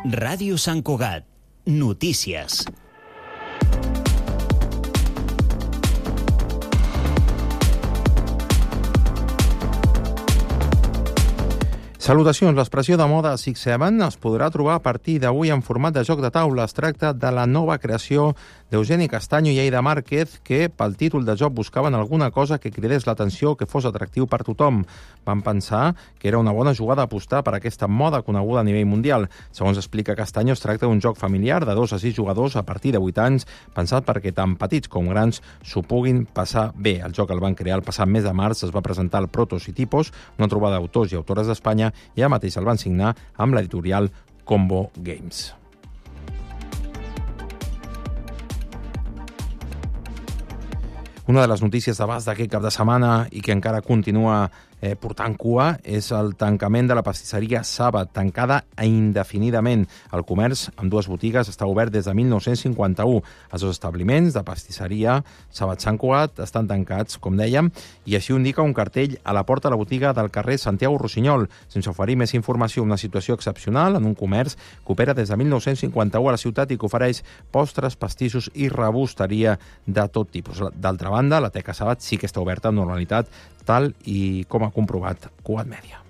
Ràdio Sant Cugat. Notícies. Salutacions. L'expressió de moda 6-7 es podrà trobar a partir d'avui en format de joc de taula. Es tracta de la nova creació d'Eugeni Castaño i Aida Márquez, que pel títol de joc buscaven alguna cosa que cridés l'atenció, que fos atractiu per tothom. Van pensar que era una bona jugada apostar per aquesta moda coneguda a nivell mundial. Segons explica Castaño, es tracta d'un joc familiar de 2 a 6 jugadors a partir de 8 anys, pensat perquè tant petits com grans s'ho puguin passar bé. El joc el van crear el passat mes de març, es va presentar al Protos i Tipos, una trobada d'autors i autores d'Espanya, i ja mateix el van signar amb l'editorial Combo Games. Una de les notícies d'abast d'aquest cap de setmana i que encara continua portant cua és el tancament de la pastisseria Saba, tancada indefinidament. El comerç amb 2 botigues està obert des de 1951. Els 2 establiments de pastisseria Saba Sant Cugat estan tancats, com dèiem, i així ho indica un cartell a la porta de la botiga del carrer Santiago Rossinyol. Sense oferir més informació, una situació excepcional en un comerç que opera des de 1951 a la ciutat i que ofereix postres, pastissos i rebosteria de tot tipus. D'altra banda, la Teca Sabat sí que està oberta amb normalitat, tal i com ha comprovat Cugat Mèdia.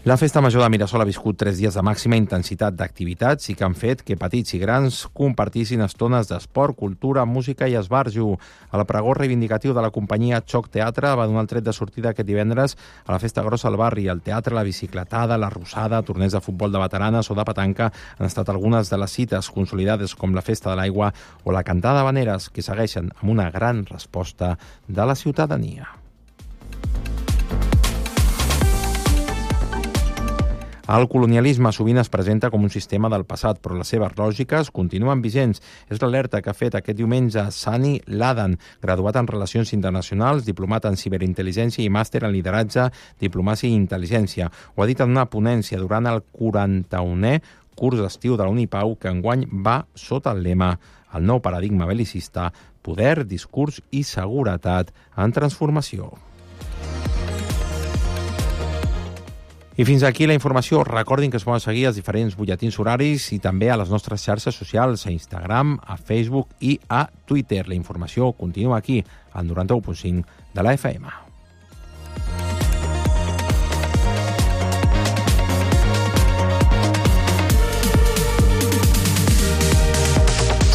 La Festa Major de Mirasol ha viscut 3 dies de màxima intensitat d'activitats i que han fet que petits i grans compartissin estones d'esport, cultura, música i esbarjo. El pregó reivindicatiu de la companyia Xoc Teatre va donar el tret de sortida aquest divendres a la Festa Grossa al barri. El teatre, la bicicletada, la rossada, torneigs de futbol de veteranes o de petanca han estat algunes de les cites consolidades com la Festa de l'Aigua o la Cantada d'Havaneres, que segueixen amb una gran resposta de la ciutadania. El colonialisme sovint es presenta com un sistema del passat, però les seves lògiques continuen vigents. És l'alerta que ha fet aquest diumenge Sani Ladan, graduat en Relacions Internacionals, diplomat en Ciberintel·ligència i màster en Lideratge, Diplomàcia i Intel·ligència. Ho ha dit en una ponència durant el 41è curs d'estiu de la Unipau, que enguany va sota el lema El nou paradigma belicista, poder, discurs i seguretat en transformació. I fins aquí la informació. Recordin que es poden seguir els diferents butlletins horaris i també a les nostres xarxes socials, a Instagram, a Facebook i a Twitter. La informació continua aquí, al 91.5 de la FM.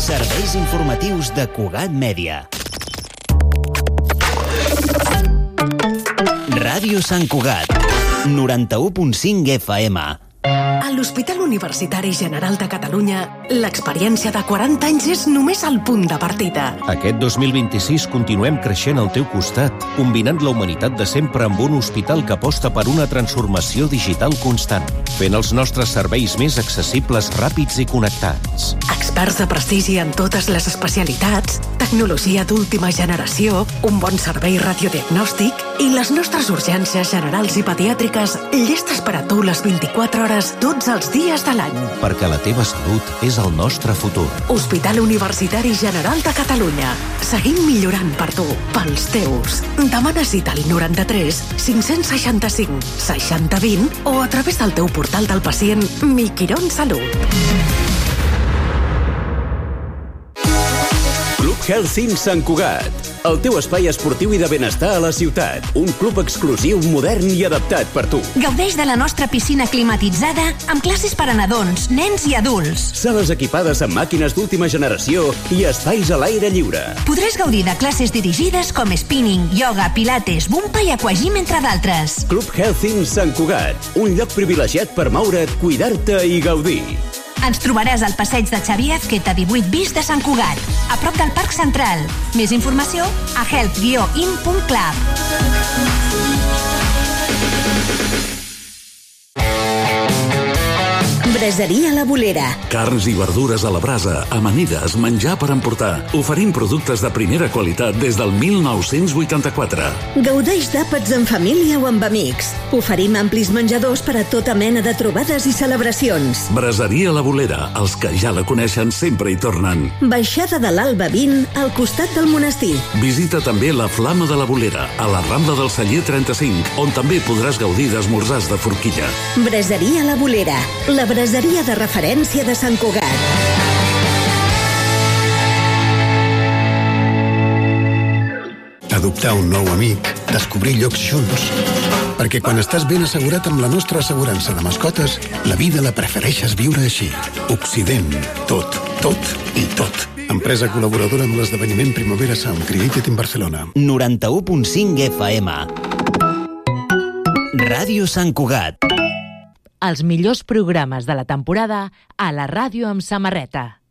Serveis informatius de Cugat Mèdia. Ràdio Sant Cugat. 91.5 FM. A l'Hospital Universitari General de Catalunya, l'experiència de 40 anys és només el punt de partida. Aquest 2026 continuem creixent al teu costat, combinant la humanitat de sempre amb un hospital que aposta per una transformació digital constant, fent els nostres serveis més accessibles, ràpids i connectats. Experts de prestigi en totes les especialitats, tecnologia d'última generació, un bon servei radiodiagnòstic i les nostres urgències generals i pediàtriques llestes per a tu les 24 hores tots els dies de l'any. Perquè la teva salut és el nostre futur. Hospital Universitari General de Catalunya. Seguim millorant per tu, pels teus. Demana cita al 93 565 60 20 o a través del teu portal del pacient Mi Quirón Salut. Club Health Sant Cugat, el teu espai esportiu i de benestar a la ciutat. Un club exclusiu, modern i adaptat per tu. Gaudeix de la nostra piscina climatitzada amb classes per a nadons, nens i adults. Sales equipades amb màquines d'última generació i espais a l'aire lliure. Podràs gaudir de classes dirigides com spinning, yoga, pilates, bumpa i aquagym, entre d'altres. Club Health Sant Cugat, un lloc privilegiat per moure't, cuidar-te i gaudir. Ens trobaràs al passeig de Xavier Azqueta 18 bis de Sant Cugat, a prop del Parc Central. Més informació a health-in.club. Braseria La Bolera. Carns i verdures a la brasa, amanides, menjar per emportar. Oferim productes de primera qualitat des del 1984. Gaudeix d'àpats en família o amb amics. Oferim amplis menjadors per a tota mena de trobades i celebracions. Braseria La Bolera. Els que ja la coneixen sempre hi tornen. Baixada de l'Alba 20, al costat del monestir. Visita també la Flama de la Bolera, a la Rambla del Celler 35, on també podràs gaudir d'esmorzars de forquilla. Braseria La Bolera, la braseria de referència de Sant Cugat. Adoptar un nou amic, descobrir llocs junts. Perquè quan estàs ben assegurat amb la nostra assegurança de mascotes, la vida la prefereixes viure així. Occident. Tot, tot i tot. Empresa col·laboradora amb l'esdeveniment Primavera Sound, Created in Barcelona. 91.5 FM. Ràdio Sant Cugat. Els millors programes de la temporada a la ràdio amb samarreta.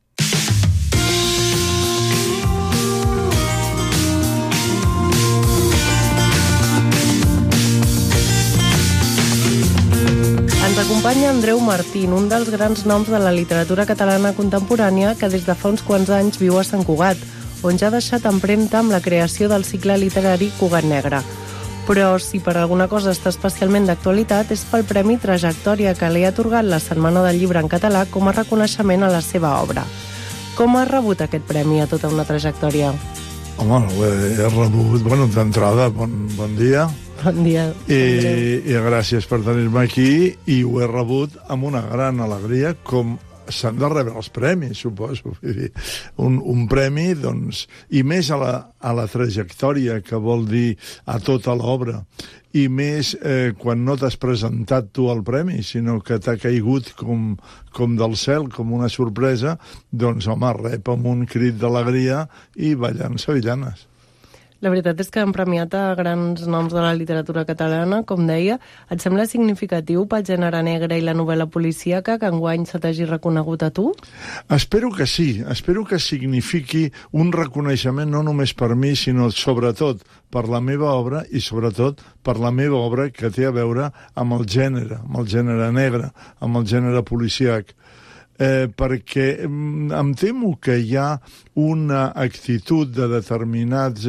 Ens acompanya Andreu Martín, un dels grans noms de la literatura catalana contemporània que des de fa uns quants anys viu a Sant Cugat, on ja ha deixat empremta amb la creació del cicle literari Cugat Negre. Però si per alguna cosa està especialment d'actualitat és pel Premi Trajectòria que li ha atorgat la Setmana del Llibre en català com a reconeixement a la seva obra. Com ha rebut aquest premi a tota una trajectòria? Home, he rebut, d'entrada, bon dia. Bon dia. I gràcies per tenir-me aquí, i ho he rebut amb una gran alegria, com s'han de rebre els premis, suposo. Vull dir, un premi, doncs, i més a la trajectòria, que vol dir a tota l'obra, i més quan no t'has presentat tu al premi, sinó que t'ha caigut com del cel, com una sorpresa, doncs, home, rep amb un crit d'alegria i ballant sevillanes. La veritat és que han premiat a grans noms de la literatura catalana, com deia. Et sembla significatiu pel gènere negre i la novel·la policíaca que enguany se t'hagi reconegut a tu? Espero que sí. Espero que signifiqui un reconeixement no només per mi, sinó sobretot per la meva obra i sobretot per la meva obra que té a veure amb el gènere negre, amb el gènere policíac. Perquè em temo que hi ha una actitud de determinats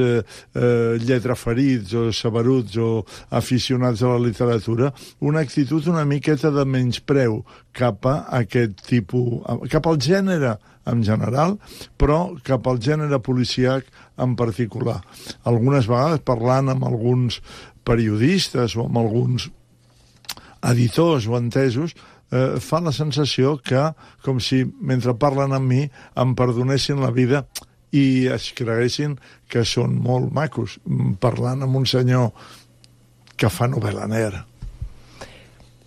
lletraferits o saberuts o aficionats a la literatura, una actitud una miqueta de menyspreu cap a aquest tipus, cap al gènere en general, però cap al gènere policíac en particular. Algunes vegades parlant amb alguns periodistes o amb alguns editors o entesos, fa la sensació que, com si mentre parlen amb mi, em perdonessin la vida i es creguessin que són molt macos, parlant amb un senyor que fa novel·la negra.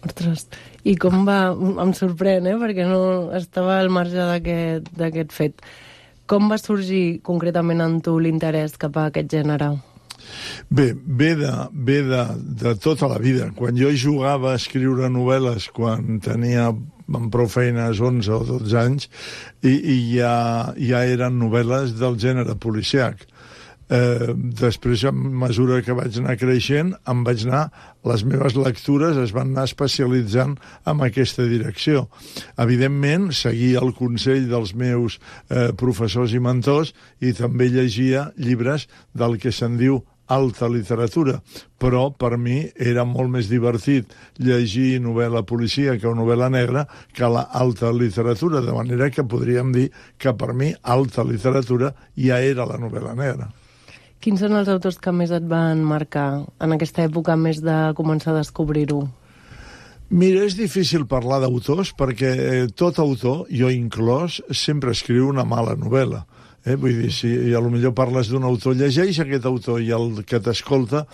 Ostres, i com va... Em sorprèn, perquè no estava al marge d'aquest fet. Com va sorgir concretament en tu l'interès cap a aquest gènere? Bé, ve de tota la vida. Quan jo jugava a escriure novel·les, quan tenia amb prou feines 11 o 12 anys, i ja eren novel·les del gènere policiac. Després, a mesura que vaig anar creixent, les meves lectures es van anar especialitzant en aquesta direcció. Evidentment, seguia el consell dels meus professors i mentors i també llegia llibres del que se'n diu alta literatura, però per mi era molt més divertit llegir novel·la policíaca o novel·la negra que la alta literatura, de manera que podríem dir que per mi alta literatura ja era la novel·la negra. Quins són els autors que més et van marcar en aquesta època més de començar a descobrir-ho? Mira, és difícil parlar d'autors perquè tot autor, jo inclòs, sempre escriu una mala novel·la. Vull dir, si a lo millor parles d'un autor, llegeix aquest autor i el que t'escolta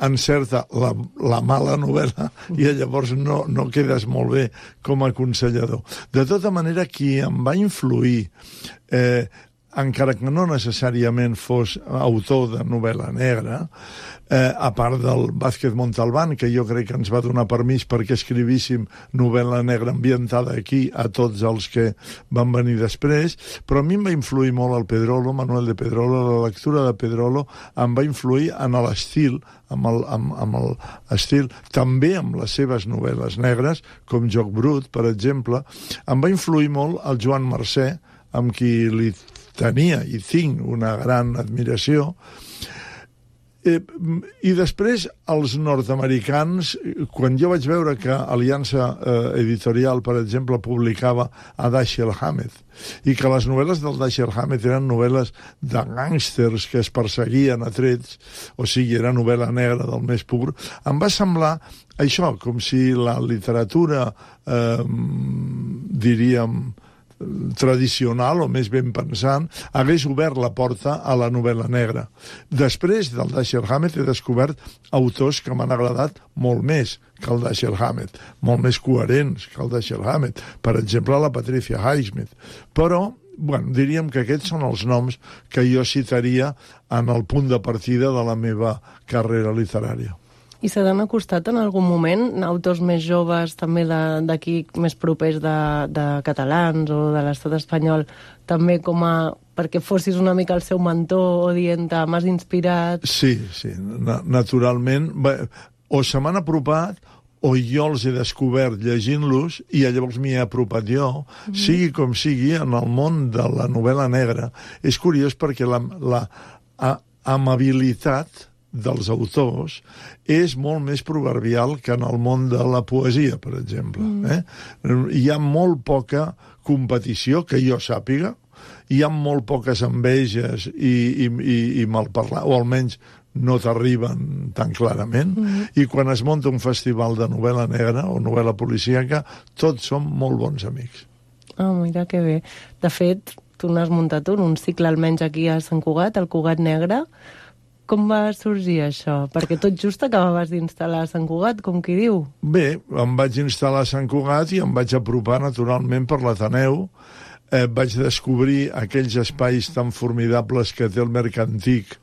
encerta la mala novel·la i llavors no quedes molt bé com a aconsellador. De tota manera, qui em va influir encara que no necessàriament fos autor de novel·la negra, a part del Vázquez Montalbán, que jo crec que ens va donar permís perquè escrivíssim novel·la negra ambientada aquí a tots els que van venir després, però a mi em va influir molt el Pedrolo, Manuel de Pedrolo, la lectura de Pedrolo em va influir en l'estil, amb l'estil, també amb les seves novel·les negres, com Joc Brut, per exemple. Em va influir molt el Joan Mercè, amb qui li tenia i tinc una gran admiració. I després els nord-americans, quan jo vaig veure que Aliança Editorial, per exemple, publicava a Dashiell Hammett, i que les novel·les del Dashiell Hammett eren novel·les de gàngsters que es perseguien a trets, o sigui, era novel·la negra del més pur, em va semblar això, com si la literatura, diríem, tradicional o més ben pensant, hagués obert la porta a la novel·la negra. Després del Dashiell Hammett he descobert autors que m'han agradat molt més que el Dashiell Hammett, molt més coherents que el Dashiell Hammett. Per exemple, la Patricia Highsmith. Però, bueno, diríem que aquests són els noms que jo citaria en el punt de partida de la meva carrera literària. I se t'han acostat en algun moment autors més joves, també d'aquí més propers de catalans o de l'estat espanyol, també com a perquè fossis una mica el seu mentor o dient-te, m'has inspirat? Sí, naturalment. O se m'han apropat o jo els he descobert llegint-los i llavors m'hi he apropat jo. Sigui com sigui, en el món de la novel·la negra és curiós perquè la amabilitat dels autors és molt més proverbial que en el món de la poesia, per exemple. Hi ha molt poca competició, que jo sàpiga, hi ha molt poques enveges i malparlar, o almenys no t'arriben tan clarament, i quan es munta un festival de novel·la negra o novel·la policíaca, tots som molt bons amics. Mira que bé. De fet, tu n'has muntat un cicle almenys aquí a Sant Cugat, el Cugat Negre. Com va sorgir això? Perquè tot just acabaves d'instal·lar a Sant Cugat, com qui diu. Bé, em vaig instal·lar a Sant Cugat i em vaig apropar naturalment per l'Ateneu. Vaig descobrir aquells espais tan formidables que té el Mercantic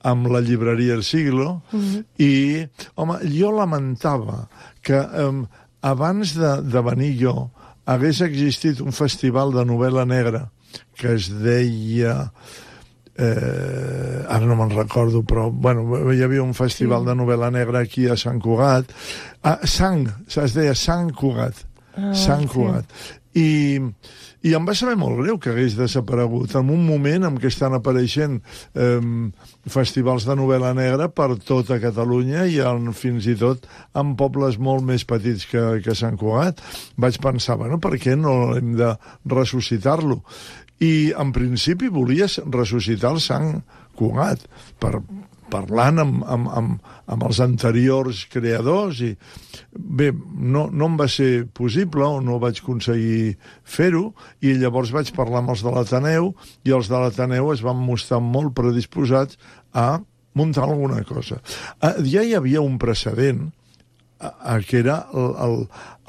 amb la llibreria El Siglo i, home, jo lamentava que abans de venir jo hagués existit un festival de novel·la negra que es deia... ara no me'n recordo, però bueno, hi havia un festival de novel·la negra aquí a Sant Cugat. Es deia Sant Cugat. Sant Cugat. I em va saber molt greu que hagués desaparegut en un moment en què estan apareixent festivals de novel·la negra per tota Catalunya i fins i tot en pobles molt més petits que Sant Cugat. Vaig pensar, bueno, per què no hem de ressuscitar-lo? I en principi volies ressuscitar el Sant Cugat parlant amb els anteriors creadors i bé, no em va ser possible o no vaig aconseguir fer-ho i llavors vaig parlar amb els de l'Ateneu i els de l'Ateneu es van mostrar molt predisposats a muntar alguna cosa. Ja hi havia un precedent que era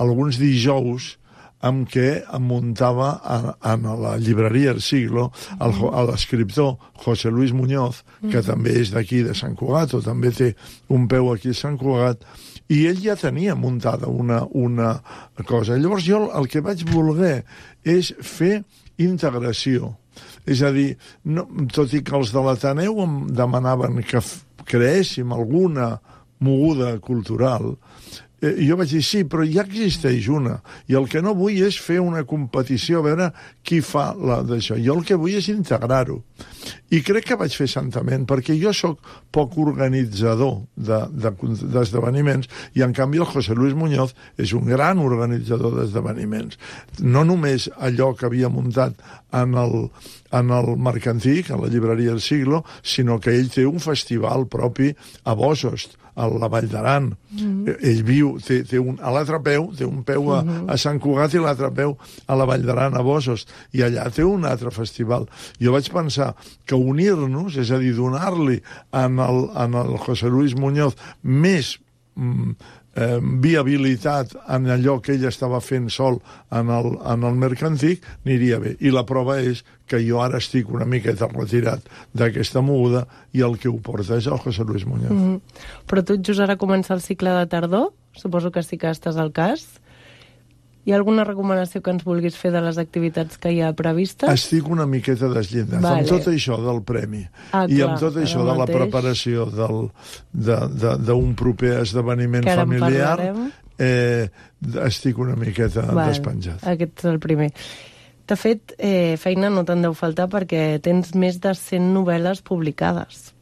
alguns dijous amb què em muntava a la llibreria El Siglo l'escriptor José Luis Muñoz, que també és d'aquí de Sant Cugat, o també té un peu aquí a Sant Cugat, i ell ja tenia muntada una cosa. Llavors jo el que vaig voler és fer integració. És a dir, tot i que els de l'Ateneu em demanaven que creéssim alguna moguda cultural, jo vaig dir, sí, però ja existeix una, i el que no vull és fer una competició, a veure qui fa d'això. Jo el que vull és integrar-ho. I crec que vaig fer santament, perquè jo sóc poc organitzador d'esdeveniments, i en canvi el José Luis Muñoz és un gran organitzador d'esdeveniments. No només allò que havia muntat en el Mercantic, a la llibreria El Siglo, sinó que ell té un festival propi a Bosost, a la Vall d'Aran. Ell viu, a l'altre peu, té un peu a Sant Cugat i l'altre peu a la Vall d'Aran, a Bosost, i allà té un altre festival. Jo vaig pensar que unir-nos, és a dir, donar-li en el José Luis Muñoz més viabilitat en allò que ell estava fent sol en el mercantic, aniria bé. I la prova és que jo ara estic una miqueta retirat d'aquesta moguda i el que ho porta és el José Luis Muñoz. Però tot just ara comença el cicle de tardor, suposo que sí que estàs al cas. Hi ha alguna recomanació que ens vulguis fer de les activitats que hi ha previstes? Estic una miqueta desllindat. Amb tot això del premi i amb tot això de la preparació d'un proper esdeveniment familiar, estic una miqueta despenjat. Aquest és el primer. De fet, feina no te'n deu faltar perquè tens més de 100 novel·les publicades.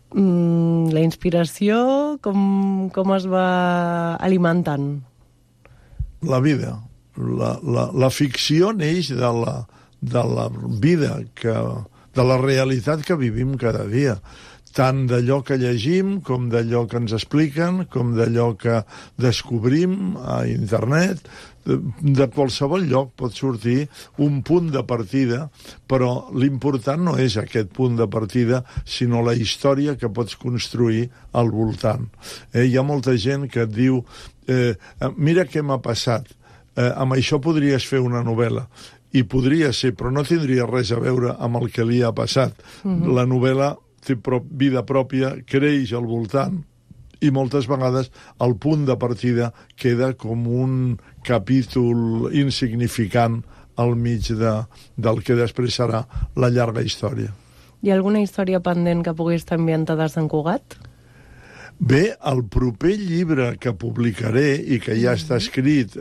La inspiració, com es va alimentant? La vida. La ficció neix de la vida, de la realitat que vivim cada dia. Tant d'allò que llegim, com d'allò que ens expliquen, com d'allò que descobrim a internet. De qualsevol lloc pot sortir un punt de partida, però l'important no és aquest punt de partida, sinó la història que pots construir al voltant. Hi ha molta gent que et diu mira què m'ha passat, amb això podries fer una novel·la. I podria ser, però no tindria res a veure amb el que li ha passat. La novel·la té vida pròpia, creix al voltant, i moltes vegades el punt de partida queda com un capítol insignificant al mig del que després serà la llarga història. Hi ha alguna història pendent que pugui estar ambientada a Sant Cugat? Bé, el proper llibre que publicaré i que ja està escrit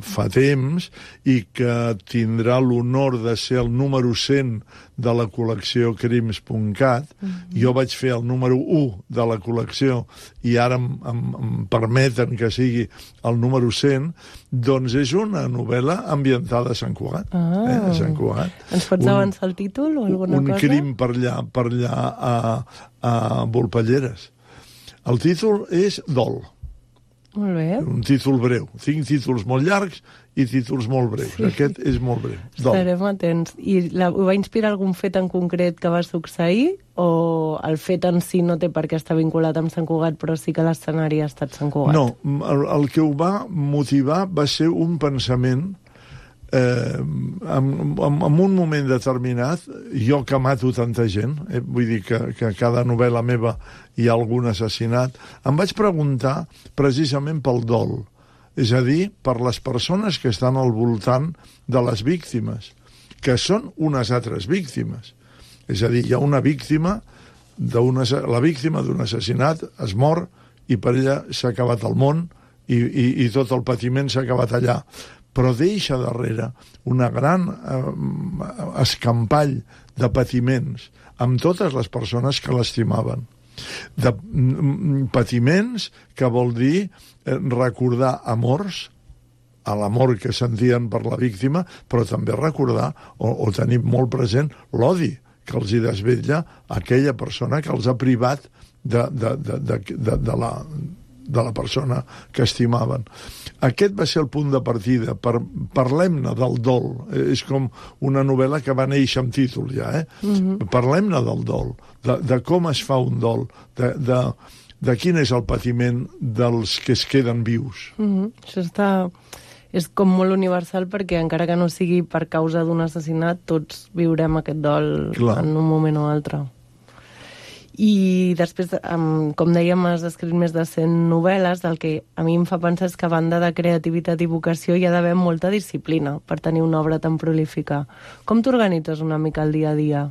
fa temps i que tindrà l'honor de ser el número 100 de la col·lecció Crims.cat, jo vaig fer el número 1 de la col·lecció i ara em permeten que sigui el número 100, doncs és una novel·la ambientada a Sant Cugat. A Sant Cugat. Ens pots avançar el títol o alguna cosa? Un crim per allà a Volpelleres. El títol és Dol. Molt bé. Un títol breu. Tinc títols molt llargs i títols molt breus. Aquest és molt breu. Dol. Estarem atents. I ho va inspirar algun fet en concret que va succeir? O el fet en si no té per què estar vinculat amb Sant Cugat, però sí que l'escenari ha estat Sant Cugat? No, el que ho va motivar va ser un pensament en un moment determinat, jo que mato tanta gent, vull dir que a cada novel·la meva hi ha algun assassinat, em vaig preguntar precisament pel dol, és a dir, per les persones que estan al voltant de les víctimes, que són unes altres víctimes. És a dir, hi ha una víctima, la víctima d'un assassinat es mor i per ella s'ha acabat el món i tot el patiment s'ha acabat allà. Però deixa darrere una gran escampall de patiments amb totes les persones que l'estimaven. De patiments que vol dir recordar amors, a l'amor que sentien per la víctima, però també recordar o tenir molt present l'odi que els hi desvetlla aquella persona que els ha privat de la persona que estimaven. Aquest va ser el punt de partida. Parlem-ne del dol. És com una novel·la que va néixer amb títol ja, Parlem-ne del dol, de com es fa un dol, de quin és el patiment dels que es queden vius. Això és com molt universal perquè encara que no sigui per causa d'un assassinat, tots viurem aquest dol en un moment o altre. I després, com dèiem, has escrit més de 100 novel·les, del que a mi em fa pensar és que a banda de creativitat i vocació hi ha d'haver molta disciplina per tenir una obra tan prolífica. Com t'organitzes una mica el dia a dia?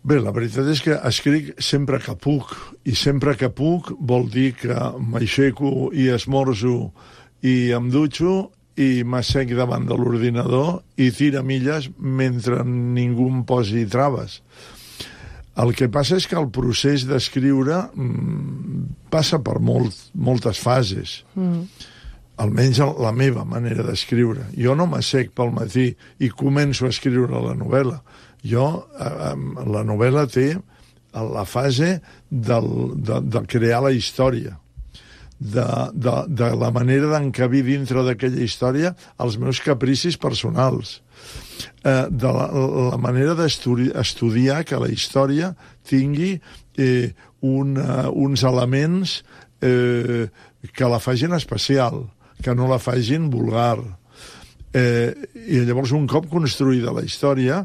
Bé, la veritat és que escric sempre que puc, i sempre que puc vol dir que m'aixeco i esmorzo i em dutxo i m'assec davant de l'ordinador i tira milles mentre ningú em posi traves. El que passa és que el procés d'escriure passa per moltes fases. Almenys la meva manera d'escriure. Jo no m'assec pel matí i començo a escriure la novel·la. La novel·la té la fase de crear la història, de la manera d'encabir dintre d'aquella història els meus capricis personals, de la manera d'estudiar que la història tingui uns elements que la facin especial, que no la facin vulgar. I llavors, un cop construïda la història,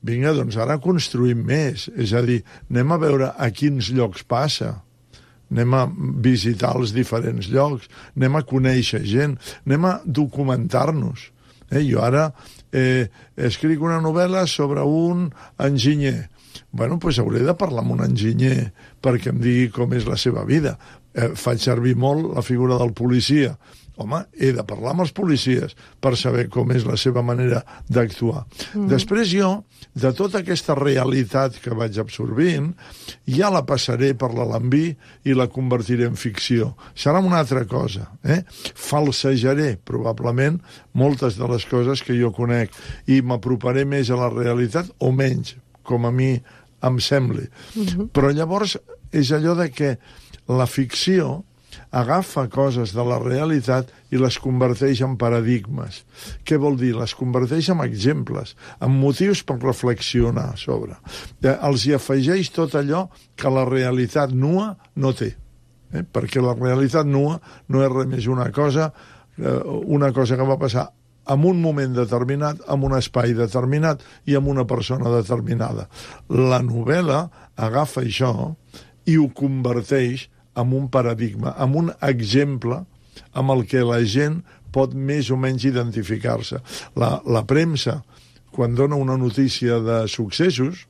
vinga, doncs ara construïm més. És a dir, anem a veure a quins llocs passa, anem a visitar els diferents llocs, anem a conèixer gent, anem a documentar-nos. Jo ara escric una novel·la sobre un enginyer. Bueno, doncs hauré de parlar amb un enginyer perquè em digui com és la seva vida. Faig servir molt la figura del policia. Home, he de parlar amb els policies per saber com és la seva manera d'actuar. Després jo, de tota aquesta realitat que vaig absorbint, ja la passaré per l'alambí i la convertiré en ficció. Serà una altra cosa. Falsejaré, probablement, moltes de les coses que jo conec i m'aproparé més a la realitat o menys, com a mi em sembli. Però llavors és allò de que la ficció agafa coses de la realitat i les converteix en paradigmes. Què vol dir? Les converteix en exemples, en motius per reflexionar sobre. Els hi afegeix tot allò que la realitat nua no té. Perquè la realitat nua no és res més una cosa que va passar en un moment determinat, en un espai determinat i amb una persona determinada. La novel·la agafa això i ho converteix en un paradigma, en un exemple amb el que la gent pot més o menys identificar-se. La premsa, quan dona una notícia de successos,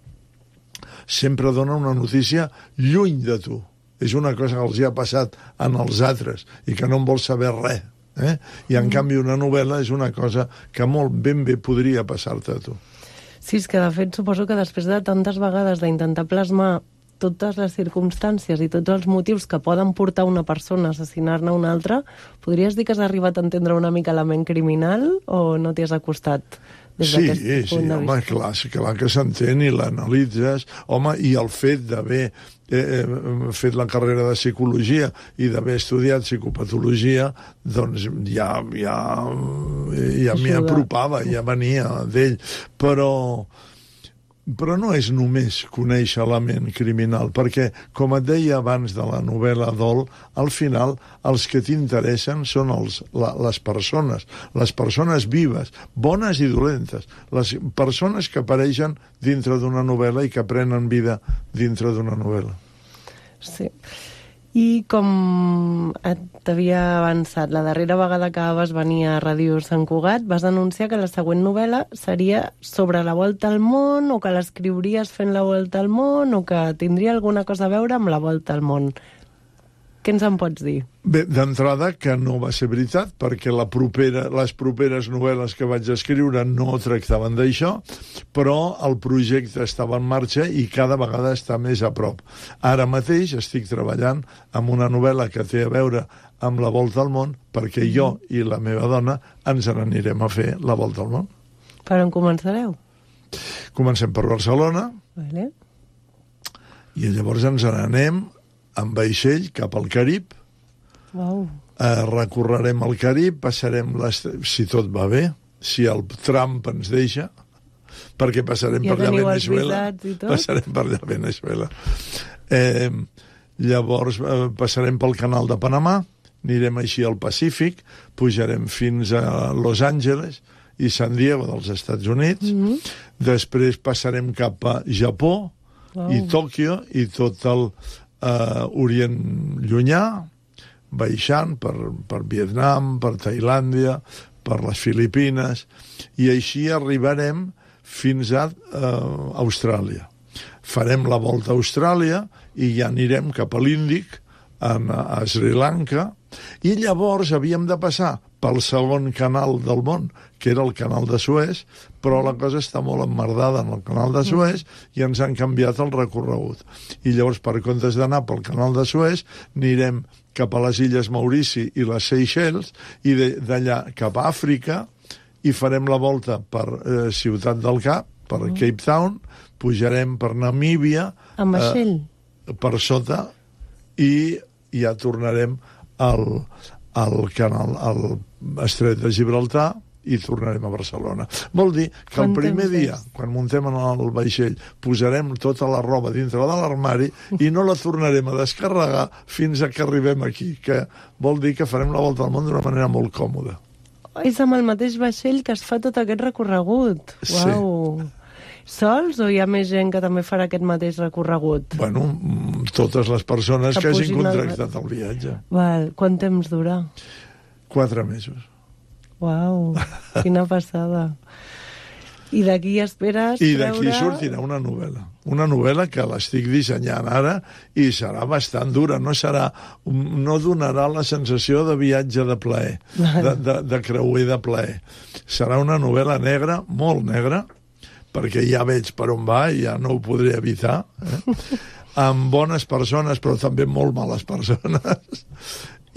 sempre dona una notícia lluny de tu. És una cosa que els hi ha passat en els altres i que no en vols saber res. I en canvi una novel·la és una cosa que molt ben bé podria passar-te a tu. Sí, és que de fet suposo que després de tantes vegades d'intentar plasmar totes les circumstàncies i tots els motius que poden portar una persona a assassinar-ne una altra, podries dir que has arribat a entendre una mica la ment criminal o no t'hi has acostat des d'aquest punt de vista? Sí, clar que s'entén i l'analitzes. Home, i el fet d'haver fet la carrera de psicologia i d'haver estudiat psicopatologia, doncs ja m'hi apropava, ja venia d'ell. Però no és només conèixer la ment criminal, perquè, com et deia abans de la novel·la Dol, al final els que t'interessen són les persones vives, bones i dolentes, les persones que apareixen dintre d'una novel·la i que prenen vida dintre d'una novel·la. Sí. I com t'havia avançat, la darrera vegada que vas venir a Ràdio Sant Cugat vas anunciar que la següent novel·la seria sobre la volta al món, o que l'escriuries fent la volta al món, o que tindria alguna cosa a veure amb la volta al món. Què ens en pots dir? Bé, d'entrada que no va ser veritat, perquè les properes novel·les que vaig escriure no tractaven d'això, però el projecte estava en marxa i cada vegada està més a prop. Ara mateix estic treballant amb una novel·la que té a veure amb la volta al món, perquè jo i la meva dona ens n'anirem a fer la volta al món. Per on començareu? Comencem per Barcelona. Vale. I llavors ens n'anem amb vaixell cap al Carib. Wow. Recorrerem el Carib, passarem, si tot va bé, si el Trump ens deixa, perquè passarem per allà Venezuela. Passarem per allà Venezuela. Llavors passarem pel canal de Panamà, anirem així al Pacífic, pujarem fins a Los Angeles i San Diego dels Estats Units, després passarem cap a Japó i Tòquio i tot el Orient Llunyà, baixant per Vietnam, per Tailàndia, per les Filipines, i així arribarem fins a Austràlia. Farem la volta a Austràlia i ja anirem cap a l'Índic, a Sri Lanka, i llavors havíem de passar pel segon canal del món, que era el canal de Suez, però la cosa està molt emmerdada en el canal de Suez i ens han canviat el recorregut. I llavors, per comptes d'anar pel canal de Suez, anirem cap a les Illes Maurici i les Seychelles, i d'allà cap a Àfrica, i farem la volta per Ciutat del Cap, per Cape Town, pujarem per Namíbia, amb vaixell, per sota, i ja tornarem al canal, al Estret de Gibraltar, i tornarem a Barcelona. Vol dir que el primer dia, quan muntem en el vaixell, posarem tota la roba dintre de l'armari i no la tornarem a descarregar fins a que arribem aquí, que vol dir que farem la volta al món d'una manera molt còmoda. És amb el mateix vaixell que es fa tot aquest recorregut. Uau! Sí. Sols o hi ha més gent que també farà aquest mateix recorregut? Bueno, totes les persones que hagin contractat el viatge. Val. Quant temps dura? 4 mesos. Uau, quina passada. I d'aquí esperes I d'aquí sortirà una novel·la. Una novel·la que l'estic dissenyant ara i serà bastant dura. No donarà la sensació de viatge de plaer, de creuer de plaer. Serà una novel·la negra, molt negra, perquè ja veig per on va i ja no ho podré evitar, amb bones persones, però també molt males persones.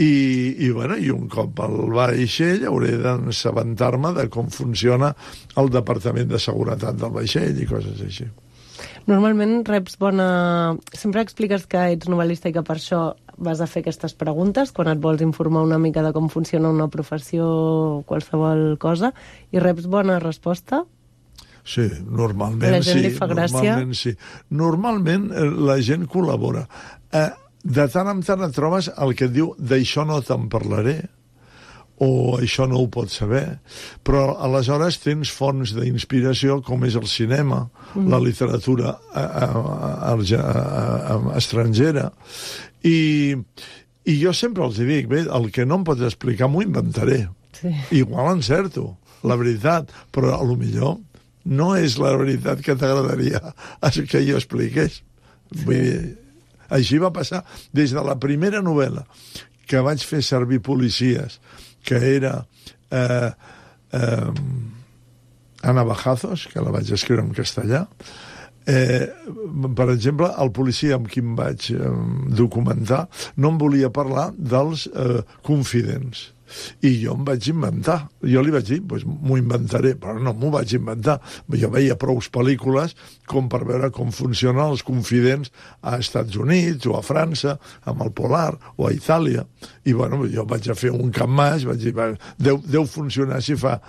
I un cop al vaixell hauré d'assabentar-me de com funciona el Departament de Seguretat del vaixell i coses així. Normalment reps bona... Sempre expliques que ets novel·lista i que per això vas a fer aquestes preguntes quan et vols informar una mica de com funciona una professió o qualsevol cosa, i reps bona resposta? Sí, normalment sí. La gent li fa gràcia? Normalment la gent col·labora. De tant en tant et trobes el que et diu d'això no te'n parlaré o això no ho pots saber, però aleshores tens fonts d'inspiració com és el cinema, la literatura estrangera, i jo sempre els dic, bé, el que no em pots explicar m'ho inventaré. Sí. Igual encerto, la veritat, però a lo millor no és la veritat que t'agradaria que jo expliqués. Vull dir, així va passar des de la primera novel·la que vaig fer servir policies, que era Ana Bajazos, que la vaig escriure en castellà. Per exemple, el policia amb qui em vaig documentar no em volia parlar dels confidents. I jo em vaig inventar. Jo li vaig dir, doncs m'ho inventaré, però no m'ho vaig inventar. Jo veia prous pel·lícules com per veure com funcionen els confidents a Estats Units o a França, amb el Polar, o a Itàlia. I bueno, jo vaig a fer un capmàs, vaig dir, deu funcionar si fa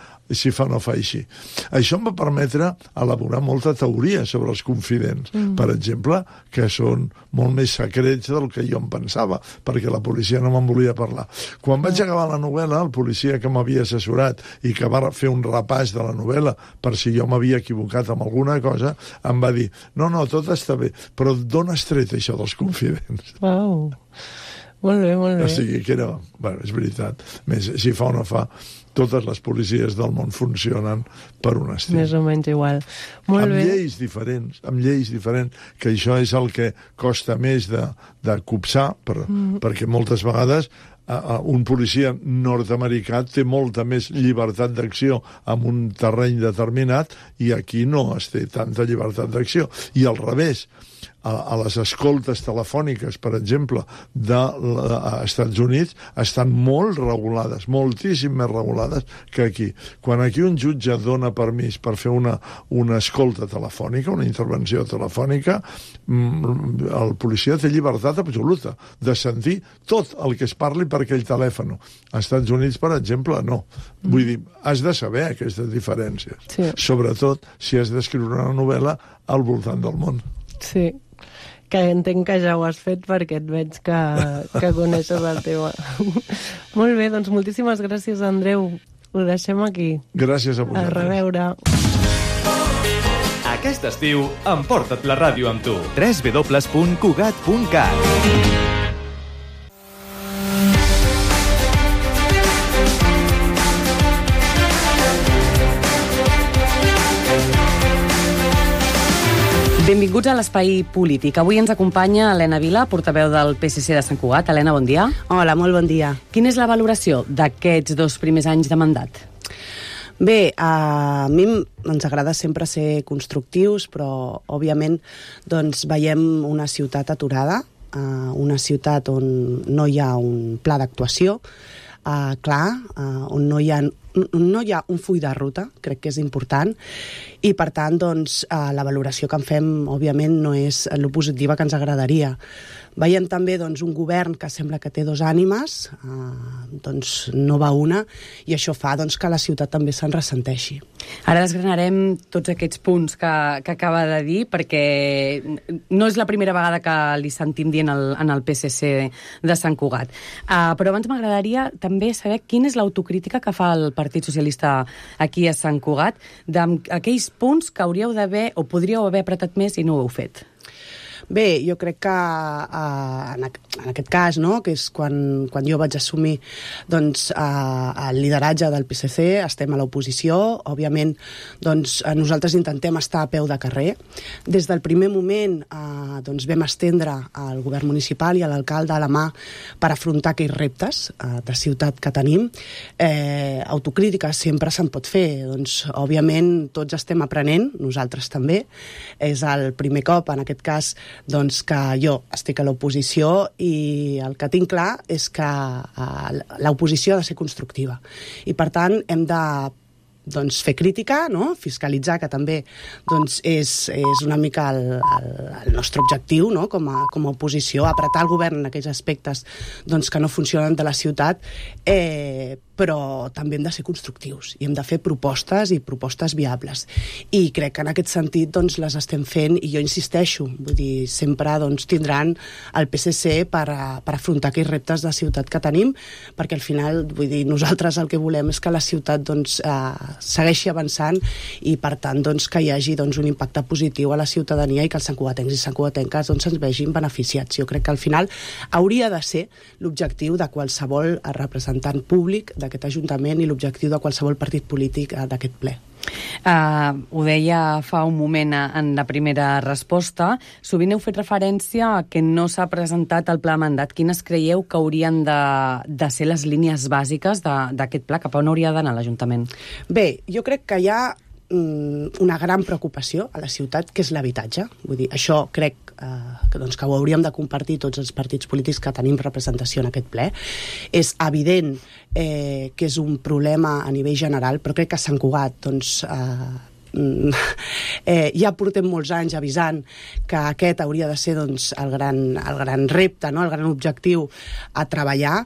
no fa així. Això em va permetre elaborar molta teoria sobre els confidents. Per exemple, que són molt més secrets del que jo em pensava, perquè la policia no me'n volia parlar. Quan vaig acabar la novel·la, el policia que m'havia assessorat i que va fer un repàs de la novel·la per si jo m'havia equivocat amb alguna cosa, em va dir, no, tot està bé, però d'on has tret això dels confidents? Uau, molt bé, molt bé. O sigui que era, bueno, és veritat, més si fa o no fa, totes les policies del món funcionen per un estil. Més o menys igual. Molt amb bé. Amb lleis diferents, que això és el que costa més de copsar, perquè moltes vegades un policia nord-americà té molta més llibertat d'acció en un terreny determinat i aquí no es té tanta llibertat d'acció. I al revés, a les escoltes telefòniques, per exemple, als Estats Units, estan molt regulades, moltíssim més regulades que aquí. Quan aquí un jutge dona permís per fer una escolta telefònica, una intervenció telefònica, el policia té llibertat absoluta de sentir tot el que es parli per aquell telèfon. Als Estats Units, per exemple, no. Vull dir, has de saber aquestes diferències. Sí. Sobretot si has d'escriure una novel·la al voltant del món. Sí, que entenc que ja ho has fet perquè et veig que coneixes el tema. Molt bé, doncs moltíssimes gràcies, Andreu. Ho deixem aquí. Gràcies a vosaltres. A reveure. Aquest estiu, emporta't la ràdio amb tu. www.cugat.cat. Benvinguts a l'Espai Polític. Avui ens acompanya Helena Vila, portaveu del PSC de Sant Cugat. Helena, bon dia. Hola, molt bon dia. Quina és la valoració d'aquests 2 primers anys de mandat? Bé, a mi ens agrada sempre ser constructius, però, òbviament, doncs, veiem una ciutat aturada, una ciutat on no hi ha un pla d'actuació clar, on no hi ha un full de ruta, crec que és important, i per tant doncs, la valoració que en fem òbviament no és lo positiva que ens agradaria, Veiem també doncs, un govern que sembla que té dos ànimes, doncs no va una, i això fa doncs, que la ciutat també se'n ressenteixi. Ara desgranarem tots aquests punts que acaba de dir, perquè no és la primera vegada que li sentim dient en el PSC de Sant Cugat. Però abans m'agradaria també saber quina és l'autocrítica que fa el Partit Socialista aquí a Sant Cugat d'aquells punts que hauríeu d'haver o podríeu haver apretat més i no ho heu fet. Bé, jo crec que en aquest cas, no, que és quan jo vaig assumir doncs, el lideratge del PSC, estem a l'oposició, òbviament doncs, nosaltres intentem estar a peu de carrer. Des del primer moment doncs, vam estendre al govern municipal i a l'alcalde a la mà per afrontar aquells reptes de ciutat que tenim. Autocrítica sempre se'n pot fer, doncs, òbviament tots estem aprenent, nosaltres també. És el primer cop, en aquest cas, doncs que jo estic a l'oposició i el que tinc clar és que l'oposició ha de ser constructiva i per tant hem de doncs, fer crítica, no? Fiscalitzar, que també doncs, és una mica el nostre objectiu, no? com a oposició, apretar el govern en aquells aspectes doncs, que no funcionen de la ciutat, però també hem de ser constructius i hem de fer propostes i propostes viables. I crec que en aquest sentit doncs, les estem fent i jo insisteixo, vull dir, sempre doncs, tindran el PSC per afrontar aquells reptes de ciutat que tenim, perquè al final, vull dir, nosaltres el que volem és que la ciutat doncs, segueixi avançant i per tant doncs, que hi hagi doncs, un impacte positiu a la ciutadania i que els santcugatencs i santcugatenques doncs, ens vegin beneficiats. Jo crec que al final hauria de ser l'objectiu de qualsevol representant públic d'aquest Ajuntament i l'objectiu de qualsevol partit polític d'aquest ple. Ho deia fa un moment en la primera resposta. Sovint heu fet referència a que no s'ha presentat el pla de mandat. Quines creieu que haurien de ser les línies bàsiques d'aquest pla? Cap a on hauria d'anar l'Ajuntament? Bé, jo crec que hi ha una gran preocupació a la ciutat, que és l'habitatge. Vull dir, això crec que ho hauríem de compartir tots els partits polítics que tenim representació en aquest ple. És evident que és un problema a nivell general, però crec que a Sant Cugat doncs, ja portem molts anys avisant que aquest hauria de ser doncs, el gran repte, no? El gran objectiu a treballar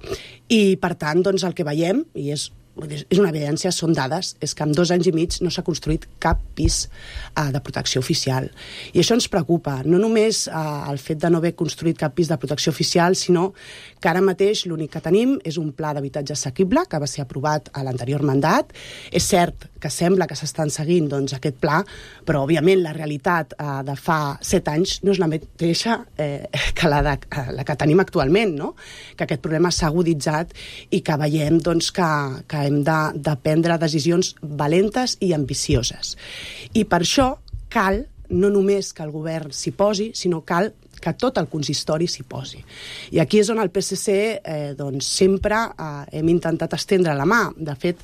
i per tant doncs, el que veiem, i és una evidència, són dades, és que en 2 anys i mig no s'ha construït cap pis de protecció oficial. I això ens preocupa, no només el fet de no haver construït cap pis de protecció oficial, sinó que ara mateix l'únic que tenim és un pla d'habitatge assequible que va ser aprovat a l'anterior mandat. És cert que sembla que s'estan seguint doncs, aquest pla, però òbviament la realitat de fa 7 anys no és la mateixa que la que tenim actualment, no? Que aquest problema s'ha aguditzat i que veiem doncs, que hem de prendre decisions valentes i ambicioses. I per això cal no només que el govern s'hi posi, sinó cal que tot el consistori s'hi posi. I aquí és on el PSC doncs, sempre hem intentat estendre la mà. De fet,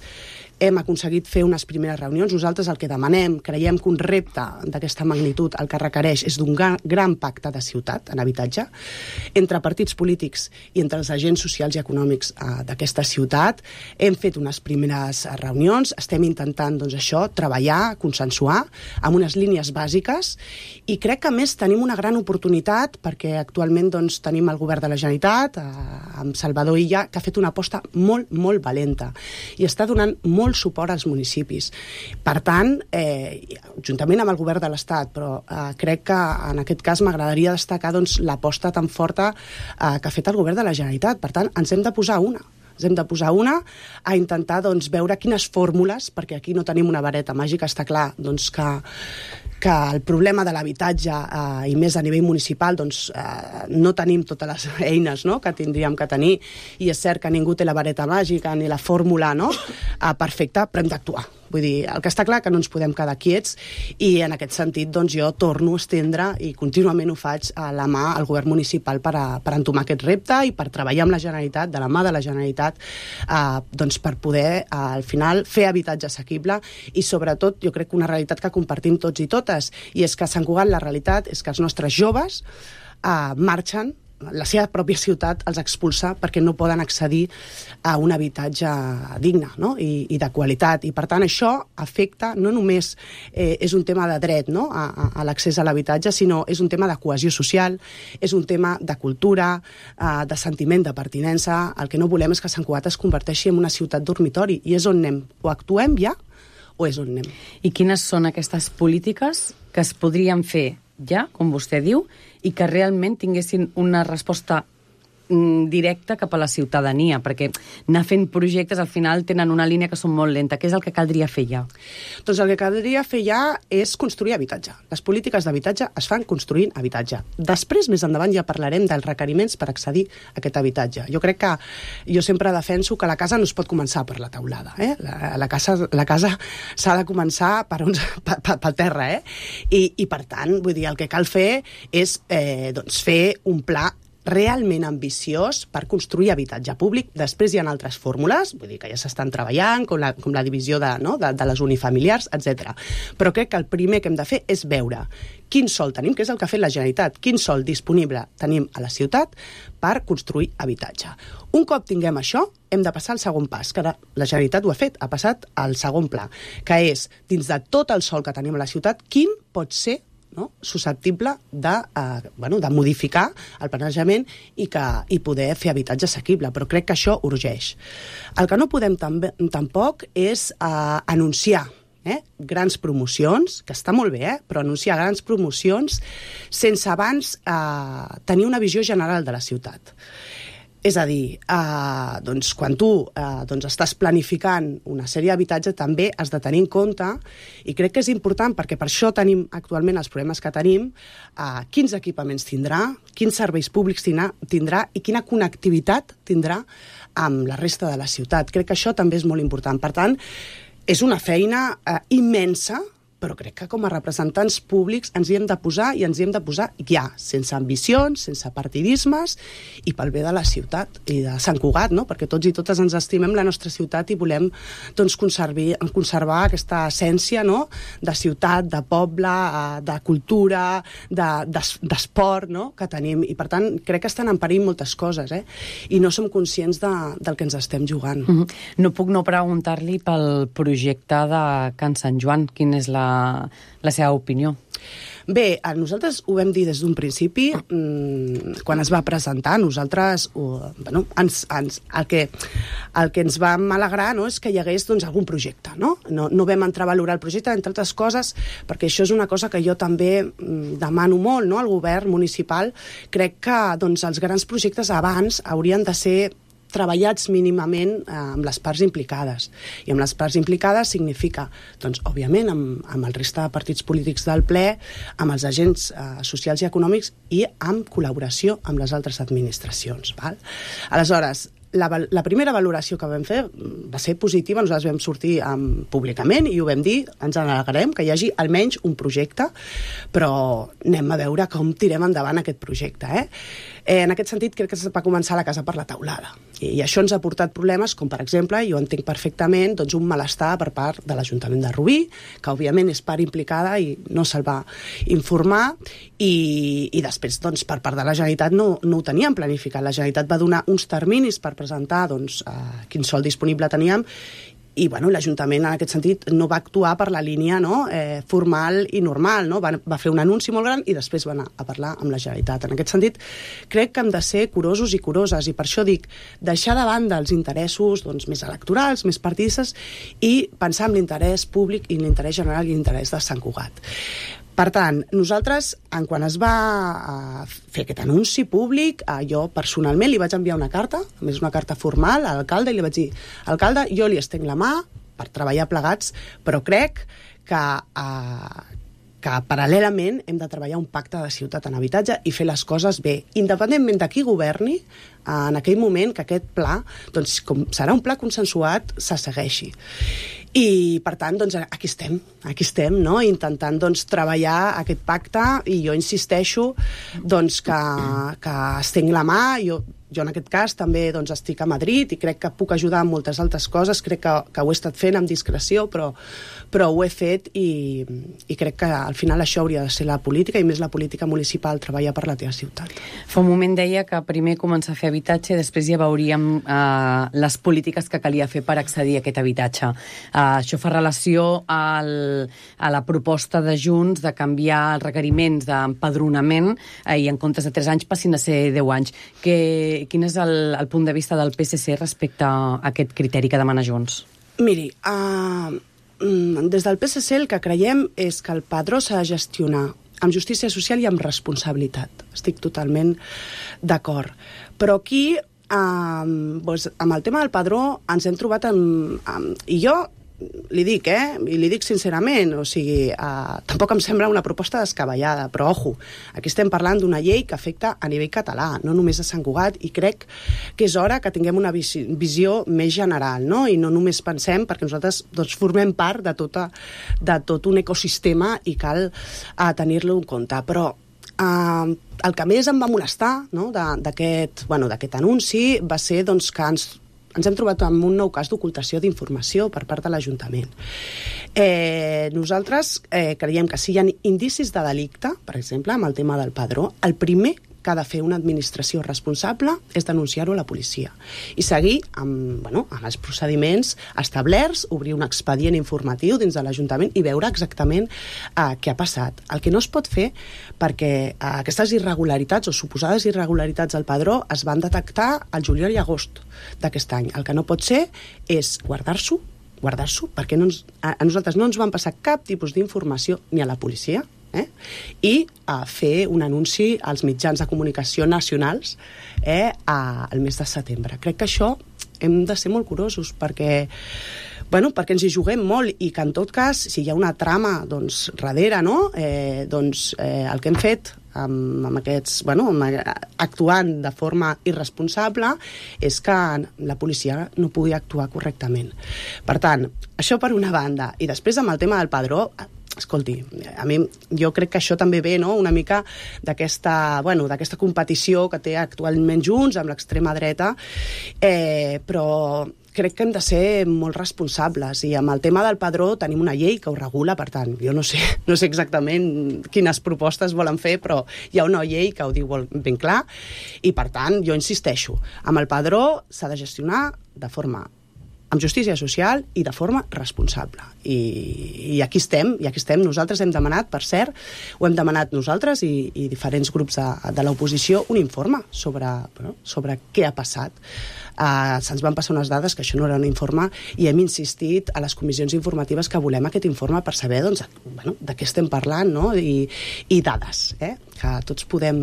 hem aconseguit fer unes primeres reunions. Nosaltres el que demanem, creiem que un repte d'aquesta magnitud el que requereix és d'un gran pacte de ciutat en habitatge entre partits polítics i entre els agents socials i econòmics d'aquesta ciutat. Hem fet unes primeres reunions, estem intentant doncs, això, treballar, consensuar amb unes línies bàsiques i crec que a més tenim una gran oportunitat perquè actualment doncs, tenim el govern de la Generalitat amb Salvador Illa, que ha fet una aposta molt, molt valenta i està donant molt suport als municipis. Per tant, juntament amb el govern de l'Estat, però crec que en aquest cas m'agradaria destacar doncs, l'aposta tan forta que ha fet el govern de la Generalitat. Per tant, ens hem de posar una. Ens hem de posar una a intentar doncs, veure quines fórmules, perquè aquí no tenim una vareta màgica, està clar doncs, que el problema de l'habitatge i més a nivell municipal doncs, no tenim totes les eines no? que tindríem que tenir i és cert que ningú té la vareta màgica ni la fórmula no? Perfecta, però hem d'actuar. Vull dir, el que està clar que no ens podem quedar quiets i en aquest sentit doncs, jo torno a estendre i contínuament ho faig a la mà al govern municipal per entomar aquest repte i per treballar amb la Generalitat, de la mà de la Generalitat, doncs, per poder al final fer habitatge assequible i sobretot jo crec que una realitat que compartim tots i totes i és que a Sant Cugat la realitat és que els nostres joves marxen la seva pròpia ciutat els expulsa perquè no poden accedir a un habitatge digne, no? I de qualitat. I per tant això afecta, no només és un tema de dret, no? a l'accés a l'habitatge, sinó és un tema de cohesió social, és un tema de cultura, de sentiment de pertinença. El que no volem és que Sant Cugat es converteixi en una ciutat dormitori, i és on anem. O actuem ja o és on anem. I quines són aquestes polítiques que es podrien fer ja, com vostè diu, i que realment tinguessin una resposta directa cap a la ciutadania, perquè anar fent projectes al final tenen una línia que són molt lenta. Què és el que caldria fer ja? Doncs el que caldria fer ja és construir habitatge. Les polítiques d'habitatge es fan construint habitatge. Després, més endavant, ja parlarem dels requeriments per accedir a aquest habitatge. Jo crec que jo sempre defenso que la casa no es pot començar per la teulada. La casa s'ha de començar pel terra. I per tant, vull dir, el que cal fer és fer un pla realment ambiciós per construir habitatge públic. Després hi ha altres fórmules, vull dir que ja s'estan treballant, com la divisió de les unifamiliars, etc. Però crec que el primer que hem de fer és veure quin sòl tenim, que és el que ha fet la Generalitat, quin sòl disponible tenim a la ciutat per construir habitatge. Un cop tinguem això, hem de passar al segon pas, que la Generalitat ho ha fet, ha passat al segon pla, que és, dins de tot el sòl que tenim a la ciutat, quin pot ser susceptible de modificar el planejament i poder fer habitatge assequible, però crec que això urgeix. El que no podem tampoc és anunciar grans promocions, que està molt bé, però anunciar grans promocions sense abans tenir una visió general de la ciutat. És a dir, quan tu estàs planificant una sèrie d'habitatge també has de tenir en compte, i crec que és important perquè per això tenim actualment els problemes que tenim, quins equipaments tindrà, quins serveis públics tindrà i quina connectivitat tindrà amb la resta de la ciutat. Crec que això també és molt important. Per tant, és una feina immensa, però crec que com a representants públics ens hi hem de posar, i ens hi hem de posar ja, sense ambicions, sense partidismes, i pel bé de la ciutat i de Sant Cugat, no? Perquè tots i totes ens estimem la nostra ciutat i volem conservar aquesta essència, no? De ciutat, de poble, de cultura, d'esport, no? Que tenim. I per tant, crec que estan en perill moltes coses, i no som conscients del que ens estem jugant. No puc no preguntar-li pel projecte de Can Sant Joan. Quina és la seva opinió? Bé, nosaltres ho vam dir des d'un principi, quan es va presentar, nosaltres el que ens vam alegrar, no, és que hi hagués algun projecte, no vam entrar a valorar el projecte, entre altres coses, perquè això és una cosa que jo també demano molt, no, al govern municipal. Crec que els grans projectes abans haurien de ser treballats mínimament amb les parts implicades. I amb les parts implicades significa, òbviament, amb el resta de partits polítics del ple, amb els agents socials i econòmics i amb col·laboració amb les altres administracions. Val? Aleshores, la primera valoració que vam fer va ser positiva. Nosaltres vam sortir públicament i ho vam dir, ens alegrem que hi hagi almenys un projecte, però anem a veure com tirem endavant aquest projecte. En aquest sentit, crec que es va començar la casa per la teulada. I això ens ha portat problemes, com per exemple, jo entenc perfectament, un malestar per part de l'Ajuntament de Rubí, que òbviament és part implicada i no se'l va informar, i després, per part de la Generalitat, no ho teníem planificat. La Generalitat va donar uns terminis per presentar quin sòl disponible teníem, i l'Ajuntament en aquest sentit no va actuar per la línia formal i normal, no? Va fer un anunci molt gran i després va anar a parlar amb la Generalitat. En aquest sentit, crec que hem de ser curosos i curoses, i per això dic, deixar de banda els interessos més electorals, més partidistes, i pensar en l'interès públic i l'interès general i l'interès de Sant Cugat. Per tant, nosaltres, quan es va fer aquest anunci públic, jo personalment li vaig enviar una carta, a més una carta formal a l'alcalde, i li vaig dir: alcalde, jo li estenc la mà per treballar plegats, però crec que paral·lelament hem de treballar un pacte de ciutat en habitatge i fer les coses bé, independentment de qui governi en aquell moment, que aquest pla, com serà un pla consensuat, se segueixi. I, per tant, aquí estem, no? Intentant treballar aquest pacte, i jo insisteixo que estenc la mà. Jo Jo en aquest cas també doncs, estic a Madrid i crec que puc ajudar en moltes altres coses, crec que ho he estat fent amb discreció, però ho he fet i crec que al final això hauria de ser la política, i més la política municipal, treballar per la teva ciutat. Fa un moment deia que primer començar a fer habitatge i després ja veuríem les polítiques que calia fer per accedir a aquest habitatge. Això fa relació a la proposta de Junts de canviar els requeriments d'empadronament i en comptes de 3 anys passin a ser 10 anys. Quin és el punt de vista del PSC respecte a aquest criteri que demana Junts? Miri, des del PSC el que creiem és que el padró s'ha de gestionar amb justícia social i amb responsabilitat. Estic totalment d'acord. Però aquí, amb el tema del padró, ens hem trobat i jo li dic, i li dic sincerament, o sigui, tampoc em sembla una proposta descabellada, però ojo, aquí estem parlant d'una llei que afecta a nivell català, no només a Sant Cugat, i crec que és hora que tinguem una visió més general, no? I no només pensem, perquè nosaltres doncs, formem part de tot un ecosistema i cal tenir-lo en compte, però el que més em va molestar, no, d'aquest anunci va ser doncs, que ens hem trobat amb un nou cas d'ocultació d'informació per part de l'Ajuntament. Nosaltres creiem que si hi ha indicis de delicte, per exemple, amb el tema del padró, el primer que ha de fer una administració responsable és denunciar-ho a la policia i seguir amb els procediments establerts, obrir un expedient informatiu dins de l'Ajuntament i veure exactament què ha passat. El que no es pot fer, perquè aquestes irregularitats o suposades irregularitats al padró es van detectar al juliol i agost d'aquest any. El que no pot ser és guardar-s'ho, perquè a nosaltres no ens van passar cap tipus d'informació ni a la policia, i fer un anunci als mitjans de comunicació nacionals al mes de setembre. Crec que això hem de ser molt curosos perquè ens hi juguem molt i que en tot cas, si hi ha una trama darrere, no? El que hem fet amb aquests, actuant de forma irresponsable és que la policia no pugui actuar correctament. Per tant, això per una banda. I després amb el tema del padró, escolti, jo crec que això també ve una mica d'aquesta competició que té actualment Junts amb l'extrema dreta, però crec que hem de ser molt responsables i amb el tema del padró tenim una llei que ho regula, per tant, jo no sé exactament quines propostes volen fer, però hi ha una llei que ho diu ben clar i per tant, jo insisteixo, amb el padró s'ha de gestionar amb justícia social i de forma responsable. I aquí estem, nosaltres hem demanat, per cert, ho hem demanat nosaltres i diferents grups de l'oposició, un informe sobre què ha passat. Se'ns van passar unes dades que això no era un informe i hem insistit a les comissions informatives que volem aquest informe per saber de què estem parlant, no? I dades, que tots podem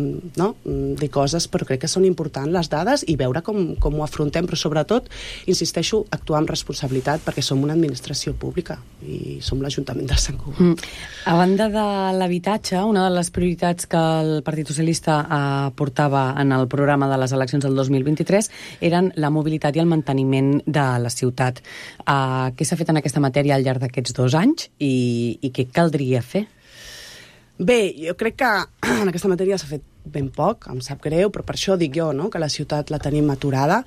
dir coses, però crec que són importants les dades i veure com ho afrontem, però sobretot, insisteixo, actuar amb responsabilitat perquè som una administració pública i som l'Ajuntament de Sant Cugat. A banda de l'habitatge, una de les prioritats que el Partit Socialista portava en el programa de les eleccions del 2023 eren la mobilitat i el manteniment de la ciutat. Què s'ha fet en aquesta matèria al llarg d'aquests 2 anys i què caldria fer? Bé, jo crec que en aquesta matèria s'ha fet ben poc, em sap greu, però per això dic jo, que la ciutat la tenim aturada.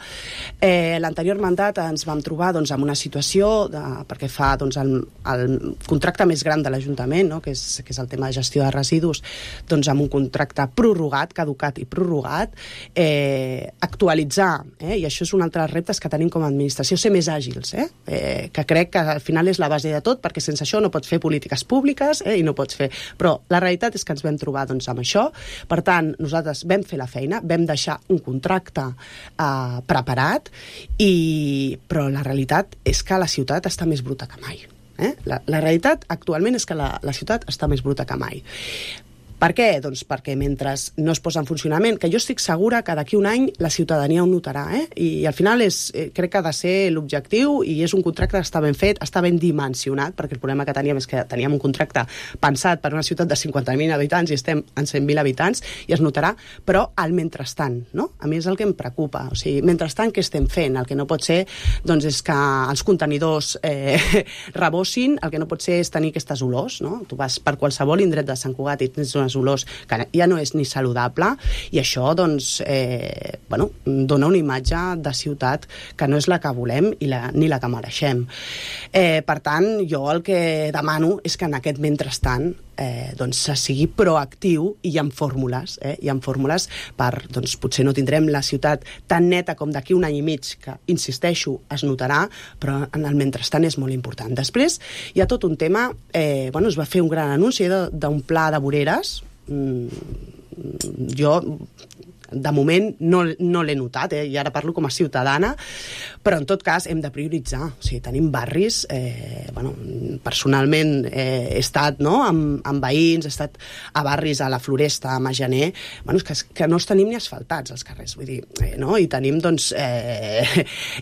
L'anterior mandat ens vam trobar amb una situació, perquè fa el contracte més gran de l'Ajuntament, que és el tema de gestió de residus, amb un contracte prorrogat, caducat i prorrogat, actualitzar, i això és un altre dels reptes que tenim com a administració, ser més àgils, que crec que al final és la base de tot, perquè sense això no pots fer polítiques públiques i no pots fer... Però la realitat és que ens vam trobar amb això, per tant, nosaltres vam fer la feina, vam deixar un contracte preparat, però la realitat és que la ciutat està més bruta que mai. La realitat actualment és que la ciutat està més bruta que mai. Per què? Doncs perquè mentre no es posa en funcionament, que jo estic segura que d'aquí un any la ciutadania ho notarà, i al final crec que ha de ser l'objectiu i és un contracte que està ben fet, està ben dimensionat, perquè el problema que teníem és que teníem un contracte pensat per una ciutat de 50.000 habitants i estem en 100.000 habitants i es notarà, però al mentrestant, no? A mi és el que em preocupa, o sigui, mentrestant què estem fent? El que no pot ser és que els contenidors rebossin, el que no pot ser és tenir aquestes olors, no? Tu vas per qualsevol indret de Sant Cugat i tens unes aquestes olors, que ja no és ni saludable, i això doncs, dona una imatge de ciutat que no és la que volem ni la que mereixem. Per tant, jo el que demano és que en aquest mentrestant se sigui proactiu i hi ha fórmules, per, doncs, potser no tindrem la ciutat tan neta com d'aquí un any i mig, que, insisteixo, es notarà, però en el mentrestant és molt important. Després hi ha tot un tema, es va fer un gran anunci d'un pla de voreres. Jo de moment no l'he notat, i ara parlo com a ciutadana, però en tot cas hem de prioritzar. O sigui, tenim barris, personalment he estat amb veïns, he estat a barris a la Floresta, a Majaner, que no els tenim ni asfaltats els carrers, vull dir, i tenim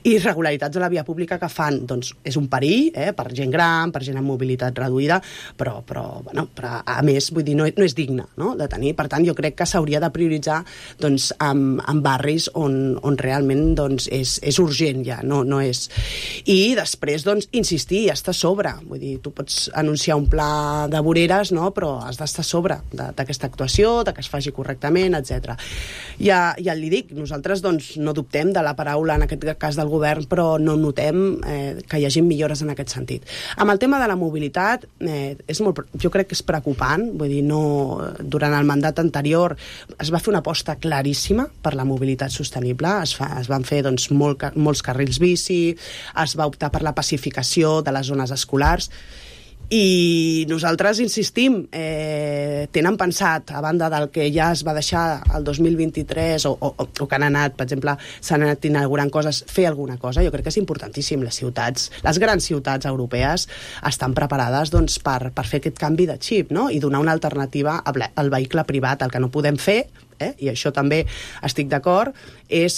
irregularitats a la via pública que fan, és un perill per gent gran, per gent amb mobilitat reduïda, però a més, vull dir, no és digne de tenir. Per tant, jo crec que s'hauria de prioritzar en barris on realment és urgent ja, no és. I després, insistir, estar a sobre. Vull dir, tu pots anunciar un pla de voreres, però has d'estar a sobre d'aquesta actuació, que es faci correctament, etc. Ja li dic, nosaltres no dubtem de la paraula, en aquest cas del govern, però no notem que hi hagi millores en aquest sentit. Amb el tema de la mobilitat, jo crec que és preocupant, vull dir, durant el mandat anterior es va fer una aposta claríssima per la mobilitat sostenible, es van fer molts carrils bici, es va optar per la pacificació de les zones escolars, i nosaltres insistim, tenen pensat, a banda del que ja es va deixar el 2023 o que han anat, per exemple, s'han anat inaugurant coses, fer alguna cosa. Jo crec que és importantíssim. Les grans ciutats europees estan preparades per fer aquest canvi de xip, i donar una alternativa al vehicle privat. El que no podem fer, i això també estic d'acord, és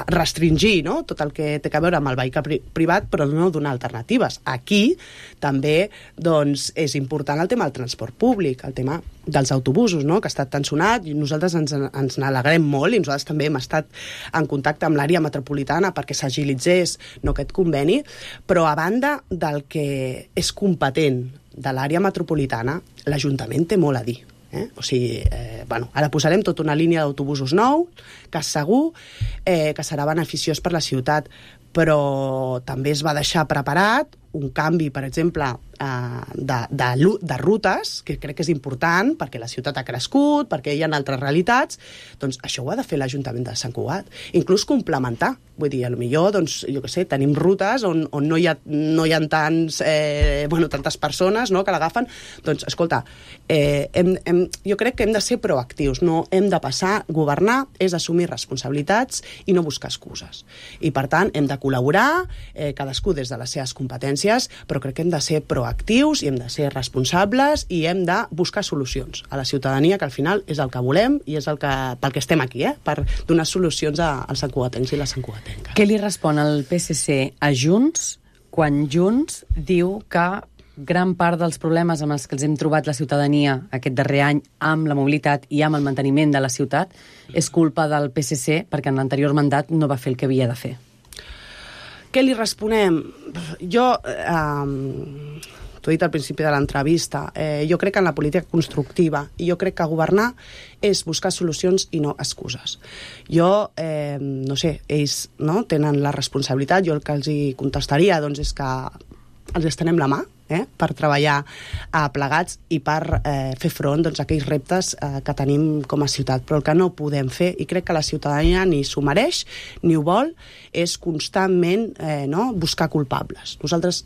restringir tot el que té a veure amb el vehicle privat, però no donar alternatives. Aquí també és important el tema del transport públic, el tema dels autobusos, que ha estat tan sonat, i nosaltres ens n'alegrem molt, i nosaltres també hem estat en contacte amb l'àrea metropolitana perquè s'agilitzés aquest conveni, però a banda del que és competent de l'àrea metropolitana, l'Ajuntament té molt a dir. O sigui, ara posarem tota una línia d'autobusos nou, que segur que serà beneficiós per la ciutat, però també es va deixar preparat un canvi, per exemple, de rutes, que crec que és important, perquè la ciutat ha crescut, perquè hi ha altres realitats. Doncs això ho ha de fer l'Ajuntament de Sant Cugat. Inclús complementar. Vull dir, potser, jo què sé, tenim rutes on no hi ha tantes persones que l'agafen. Doncs, escolta, jo crec que hem de ser proactius, no hem de passar. Governar és assumir responsabilitats i no buscar excuses. I, per tant, hem de col·laborar, cadascú des de les seves competències, però crec que hem de ser proactius i hem de ser responsables i hem de buscar solucions a la ciutadania, que al final és el que volem i és pel que estem aquí, per donar solucions als santcugatencs i les santcugatenques. Què li respon el PSC a Junts quan Junts diu que gran part dels problemes amb els que els hem trobat la ciutadania aquest darrer any amb la mobilitat i amb el manteniment de la ciutat és culpa del PSC perquè en l'anterior mandat no va fer el que havia de fer? Què li responem? Jo, t'ho he dit al principi de l'entrevista, jo crec en la política constructiva i jo crec que governar és buscar solucions i no excuses. Jo, no sé, ells tenen la responsabilitat, jo el que els hi contestaria és que els estenem la mà per treballar plegats i per fer front a aquells reptes que tenim com a ciutat. Però el que no podem fer, i crec que la ciutadania ni s'ho mereix ni ho vol, és constantment buscar culpables. Nosaltres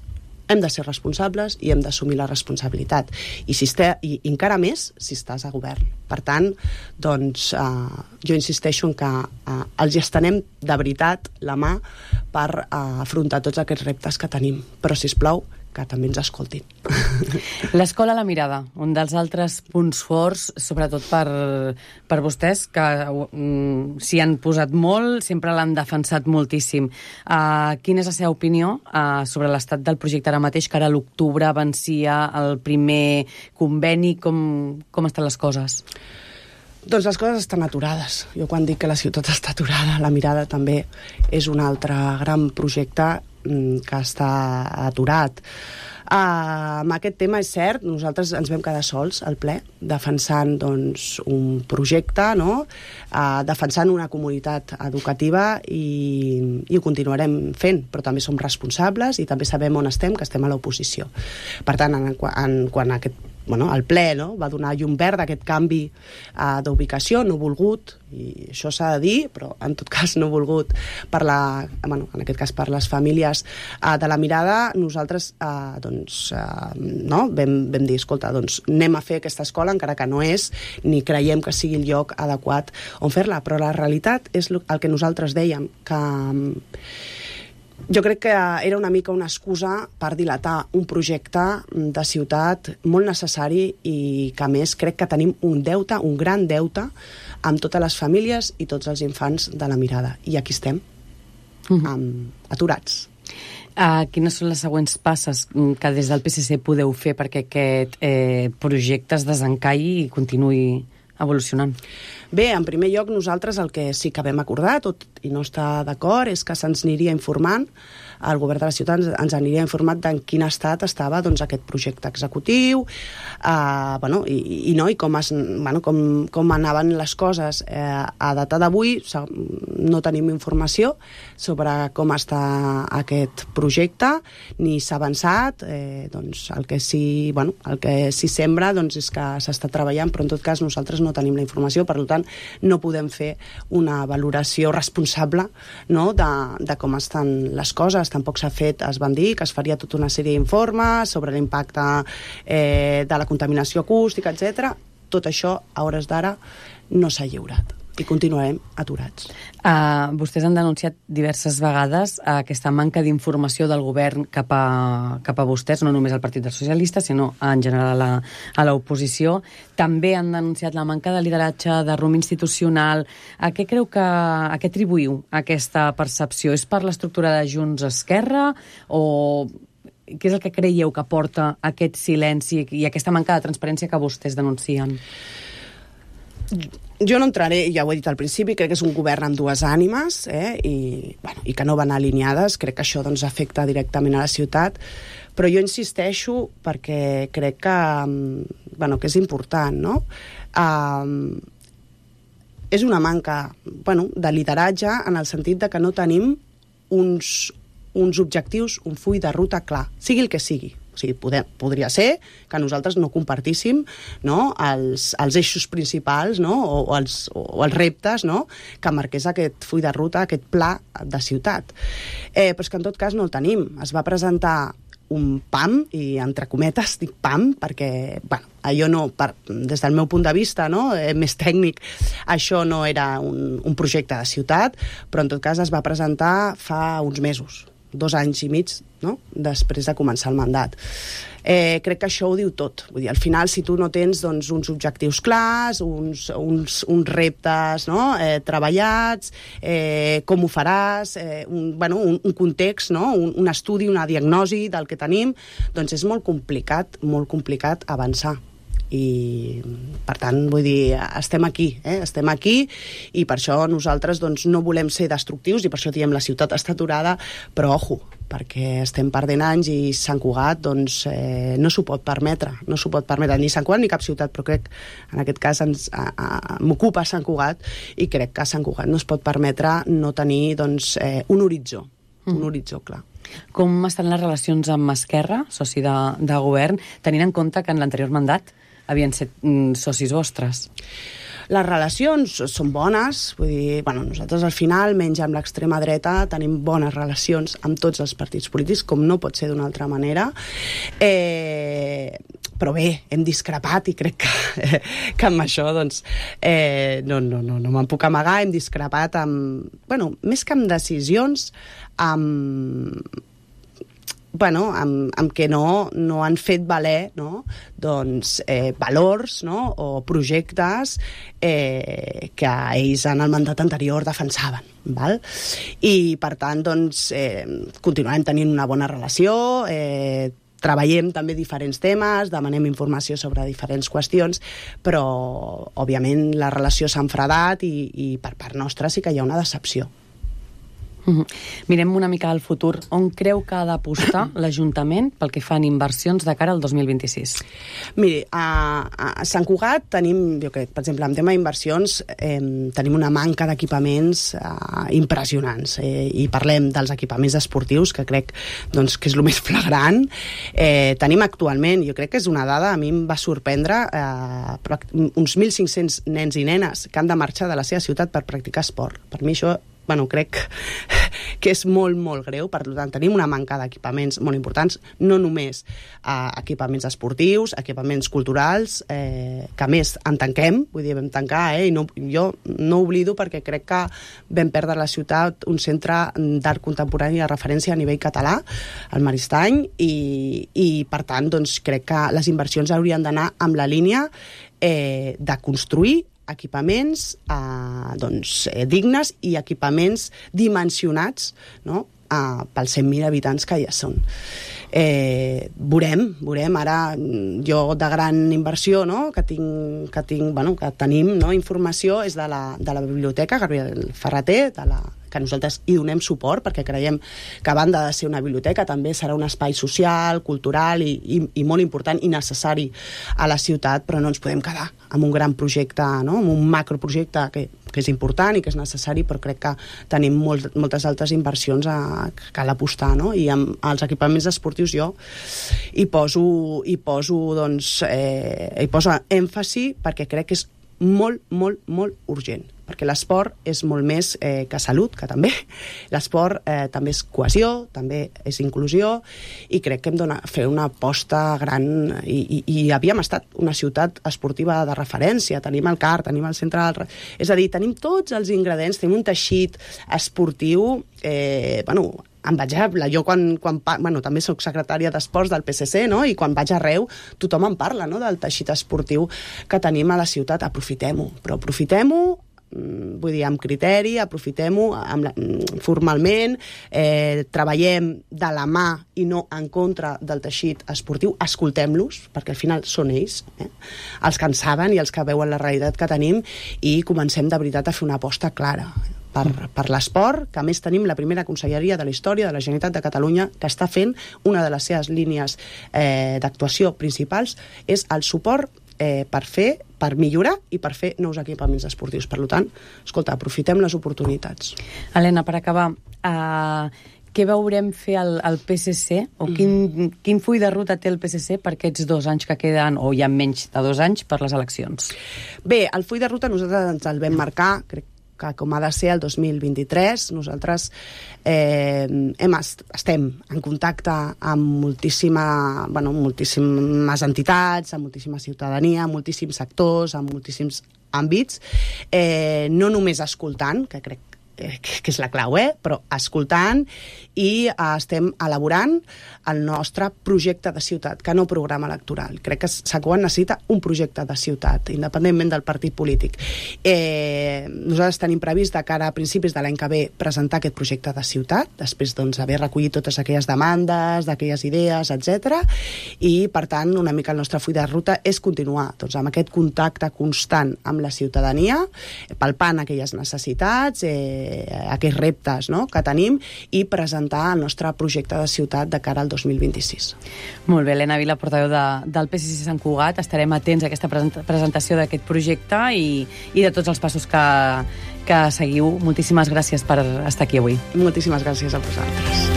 hem de ser responsables i hem d'assumir la responsabilitat. I encara més si estàs a govern. Per tant, jo insisteixo en que els estenem de veritat la mà per afrontar tots aquests reptes que tenim. Però, sisplau, que també ens escoltin. L'escola a la mirada, un dels altres punts forts, sobretot per vostès, que s'hi han posat molt, sempre l'han defensat moltíssim. Quina és la seva opinió sobre l'estat del projecte ara mateix, que ara a l'octubre vencia el primer conveni? Com estan les coses? Doncs les coses estan aturades. Jo quan dic que la ciutat està aturada, la mirada també és un altre gran projecte que està aturat. Amb aquest tema és cert, nosaltres ens vam quedar sols al ple, defensant doncs, un projecte, no? Defensant una comunitat educativa i ho continuarem fent, però també som responsables i també sabem on estem, que estem a l'oposició. Per tant, quan el ple va donar llum verd a aquest canvi d'ubicació, no volgut, i això s'ha de dir, però en tot cas no volgut en aquest cas per les famílies de la Mirada, nosaltres vam dir, escolta, doncs anem a fer aquesta escola, encara que no és, ni creiem que sigui el lloc adequat on fer-la, però la realitat és el que nosaltres dèiem, que jo crec que era una mica una excusa per dilatar un projecte de ciutat molt necessari i que, a més, crec que tenim un deute, un gran deute, amb totes les famílies i tots els infants de la Mirada. I aquí estem, aturats. Quines són les següents passes que des del PSC podeu fer perquè aquest projecte es desencalli i continuï evolucionant? Bé, en primer lloc, nosaltres el que sí que vam acordar, tot i no estar d'acord, és que se'ns aniria informant, el govern de la ciutat ens aniria informat d'en quin estat estava aquest projecte executiu, i com anaven les coses. A data d'avui no tenim informació sobre com està aquest projecte, ni s'ha avançat. El que sí sembra és que s'està treballant, però en tot cas nosaltres no tenim la informació, per tant no podem fer una valoració responsable de com estan les coses. Tampoc s'ha fet, es van dir que es faria tota una sèrie d'informes sobre l'impacte de la contaminació acústica, etc. Tot això, a hores d'ara, no s'ha lliurat i continuarem aturats. Vostès han denunciat diverses vegades aquesta manca d'informació del govern cap a vostès, no només al Partit dels Socialistes, sinó en general a l'oposició. També han denunciat la manca de lideratge, de rumb institucional. A què atribuïu aquesta percepció? És per l'estructura de Junts-Esquerra o què és el que creieu que porta aquest silenci i aquesta manca de transparència que vostès denuncien? Jo no entraré, ja ho he dit al principi, crec que és un govern amb dues ànimes i que no van alineades. Crec que això afecta directament a la ciutat, però jo insisteixo perquè crec que és important, no? És una manca de lideratge en el sentit de que no tenim uns objectius, un full de ruta clar, sigui el que sigui. O sigui, podria ser que nosaltres no compartíssim els eixos principals o els reptes que marqués aquest full de ruta, aquest pla de ciutat. Però és que en tot cas no el tenim. Es va presentar un PAM, i entre cometes dic PAM, perquè allò no, des del meu punt de vista més tècnic, això no era un projecte de ciutat, però en tot cas es va presentar fa uns mesos, 2 anys i mig, després de començar el mandat. Crec que això ho diu tot. Vull dir, al final, si tu no tens uns objectius clars, uns reptes treballats, com ho faràs, un context, un estudi, una diagnosi del que tenim, doncs és molt complicat avançar. I, per tant, vull dir, estem aquí i per això nosaltres no volem ser destructius i per això diem la ciutat està aturada, però ojo, perquè estem perdent anys i Sant Cugat no s'ho pot permetre, ni Sant Cugat ni cap ciutat, però crec en aquest cas m'ocupa Sant Cugat i crec que Sant Cugat no es pot permetre no tenir un horitzó clar. Com estan les relacions amb Esquerra, soci de govern, tenint en compte que en l'anterior mandat havien set socis vostres? Les relacions són bones, vull dir, nosaltres al final, menys amb l'extrema dreta, tenim bones relacions amb tots els partits polítics, com no pot ser d'una altra manera. Però bé, hem discrepat i crec que amb això no me'n puc amagar, hem discrepat més que amb decisions, amb què no han fet valer valors o projectes que ells en el mandat anterior defensaven. I per tant continuarem tenint una bona relació, treballem també diferents temes, demanem informació sobre diferents qüestions, però òbviament la relació s'ha enfredat i per part nostra sí que hi ha una decepció. Mirem una mica al futur. On creu que ha d'apostar l'Ajuntament pel que fan inversions de cara al 2026? Miri, a Sant Cugat tenim, jo crec, per exemple, en tema d'inversions, tenim una manca d'equipaments impressionants. I parlem dels equipaments esportius, que crec doncs, que és el més flagrant. Tenim actualment, jo crec que és una dada, a mi em va sorprendre, uns 1.500 nens i nenes que han de marxar de la seva ciutat per practicar esport. Per mi això crec que és molt, molt greu. Per tant, tenim una manca d'equipaments molt importants, no només equipaments esportius, equipaments culturals, que a més en tanquem, vull dir, vam tancar, i jo no oblido perquè crec que vam perdre a la ciutat un centre d'art contemporani de referència a nivell català, el Maristany, i per tant, doncs, crec que les inversions haurien d'anar amb la línia de construir equipaments dignes i equipaments dimensionats, no?, pels 100.000 habitants que ja són. Veurem, ara jo de gran inversió, no?, que tenim, no?, informació és de la Biblioteca Gabriel Ferrater, que nosaltres hi donem suport perquè creiem que a banda de ser una biblioteca també serà un espai social, cultural i molt important i necessari a la ciutat, però no ens podem quedar amb un gran projecte, no?, amb un macroprojecte que és important i que és necessari, però crec que tenim moltes altres inversions que cal apostar, no? I amb els equipaments esportius jo hi poso èmfasi perquè crec que és molt, molt, molt urgent, perquè l'esport és molt més que salut, que també. L'esport també és cohesió, també és inclusió, i crec que hem de fer una aposta gran, i havíem estat una ciutat esportiva de referència, tenim el CAR, tenim el centre del... És a dir, tenim tots els ingredients, tenim un teixit esportiu, envejable. Jo també soc secretària d'Esports del PSC, no?, i quan vaig arreu tothom en parla, no?, del teixit esportiu que tenim a la ciutat. Aprofitem-ho, però aprofitem-ho, vull dir, amb criteri, aprofitem-ho formalment, treballem de la mà i no en contra del teixit esportiu, escoltem-los, perquè al final són ells, els que en saben i els que veuen la realitat que tenim, i comencem de veritat a fer una aposta clara per l'esport, que a més tenim la primera conselleria de la història de la Generalitat de Catalunya que està fent una de les seves línies d'actuació principals és el suport per millorar i per fer nous equipaments esportius. Per tant, escolta, aprofitem les oportunitats. Helena, per acabar, què veurem fer al PSC, o quin full de ruta té el PSC per aquests 2 anys que queden, o ja menys de 2 anys, per les eleccions? Bé, el full de ruta nosaltres ens el vam marcar, crec que com ha de ser el 2023, nosaltres estem en contacte amb moltíssimes entitats, amb moltíssima ciutadania, amb moltíssims sectors, amb moltíssims àmbits, no només escoltant, que crec que és la clau, però escoltant, i estem elaborant el nostre projecte de ciutat, que no programa electoral. Crec que Sant Cugat necessita un projecte de ciutat, independentment del partit polític. Nosaltres tenim previst de cara a principis de l'any que ve presentar aquest projecte de ciutat, després d'haver recollit totes aquelles demandes, d'aquelles idees, etc. I, per tant, una mica el nostre full de ruta és continuar amb aquest contacte constant amb la ciutadania, palpant aquelles necessitats, aquests reptes, no?, que tenim, i presentar el nostre projecte de ciutat de cara al 2026. Molt bé, Helena Vila, portaveu del PSC Sant Cugat. Estarem atents a aquesta presentació d'aquest projecte i de tots els passos que seguiu. Moltíssimes gràcies per estar aquí avui. Moltíssimes gràcies a vosaltres.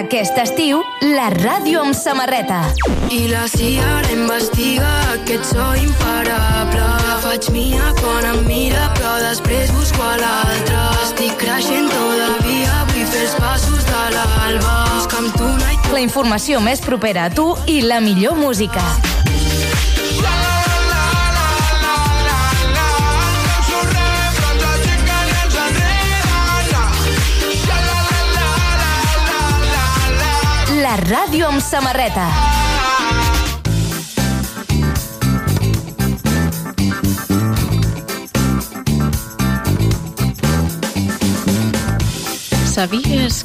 Aquest estiu, la ràdio amb samarreta. I la CIA ara investiga que ets so imparable. La faig mia quan em mira, però després busco a l'altre. Estic creixent todavía, vull fer els passos de l'alba. Busca'm tu, night. La informació més propera a tu i la millor música. La ràdio amb samarreta. ¿Sabías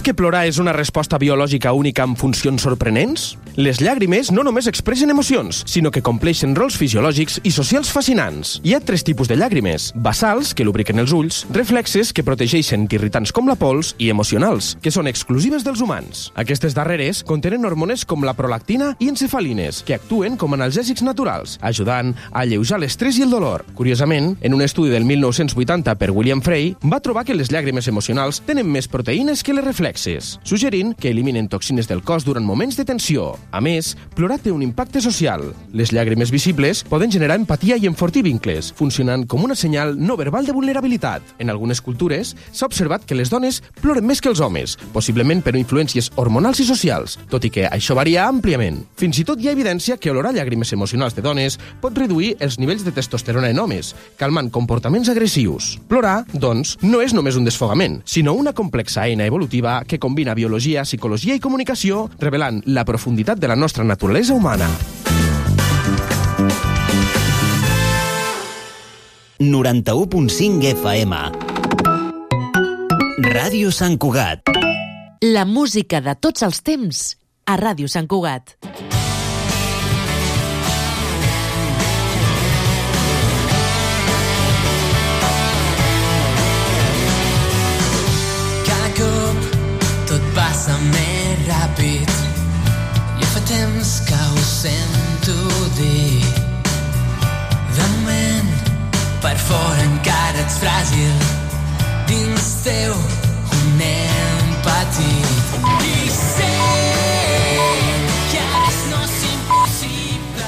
que plorar és una resposta biològica única amb funcions sorprenents? Les llàgrimes no només expressen emocions, sinó que compleixen rols fisiològics i socials fascinants. Hi ha 3 tipus de llàgrimes: basals, que lubriquen els ulls, reflexes, que protegeixen d'irritants com la pols, i emocionals, que són exclusives dels humans. Aquestes darreres contenen hormones com la prolactina i encefalines, que actuen com analgèsics naturals, ajudant a alleujar l'estrès i el dolor. Curiosament, en un estudi del 1980 per William Frey, va trobar que les llàgrimes emocionals tenen més proteïnes que les reflexes, suggerint que eliminen toxines del cos durant moments de tensió. A més, plorar té un impacte social. Les llàgrimes visibles poden generar empatia i enfortir vincles, funcionant com una senyal no verbal de vulnerabilitat. En algunes cultures s'ha observat que les dones ploren més que els homes, possiblement per influències hormonals i socials, tot i que això varia àmpliament. Fins i tot hi ha evidència que olorar llàgrimes emocionals de dones pot reduir els nivells de testosterona en homes, calmant comportaments agressius. Plorar, doncs, no és només un desfogament, sinó una complexa eina evolutiva que combina biologia, psicologia i comunicació, revelant la profunditat de la nostra naturalesa humana. 91.5 FM. Ràdio Sant Cugat. La música de tots els temps a Ràdio Sant Cugat. Tot passa més ràpid. Ja fa temps que ho sento dir. De moment, per fora encara ets fràgil. Dins teu un nen petit. I sé que a més no és impossible.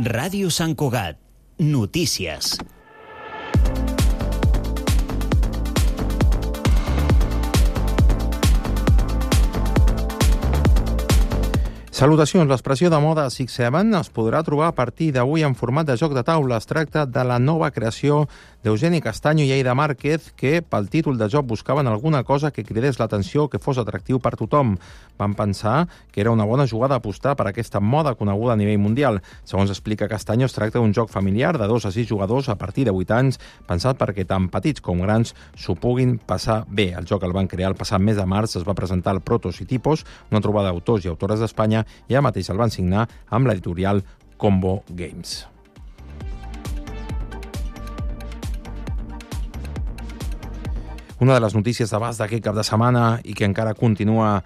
Ràdio Sant Cugat. Notícies. Salutacions. L'expressió de moda 6-7 es podrà trobar a partir d'avui en format de joc de taula. Es tracta de la nova creació d'Eugeni Castaño i Aida Márquez, que pel títol de joc buscaven alguna cosa que cridés l'atenció, que fos atractiu per tothom. Van pensar que era una bona jugada apostar per aquesta moda coneguda a nivell mundial. Segons explica Castaño, es tracta d'un joc familiar de 2 a 6 jugadors a partir de 8 anys, pensat perquè tant petits com grans s'ho puguin passar bé. El joc el van crear el passat mes de març, es va presentar al Protos i Tipos, una trobada d'autors i autores d'Espanya, i ja mateix el van signar amb l'editorial Combo Games. Una de les notícies d'abast d'aquest cap de setmana i que encara continua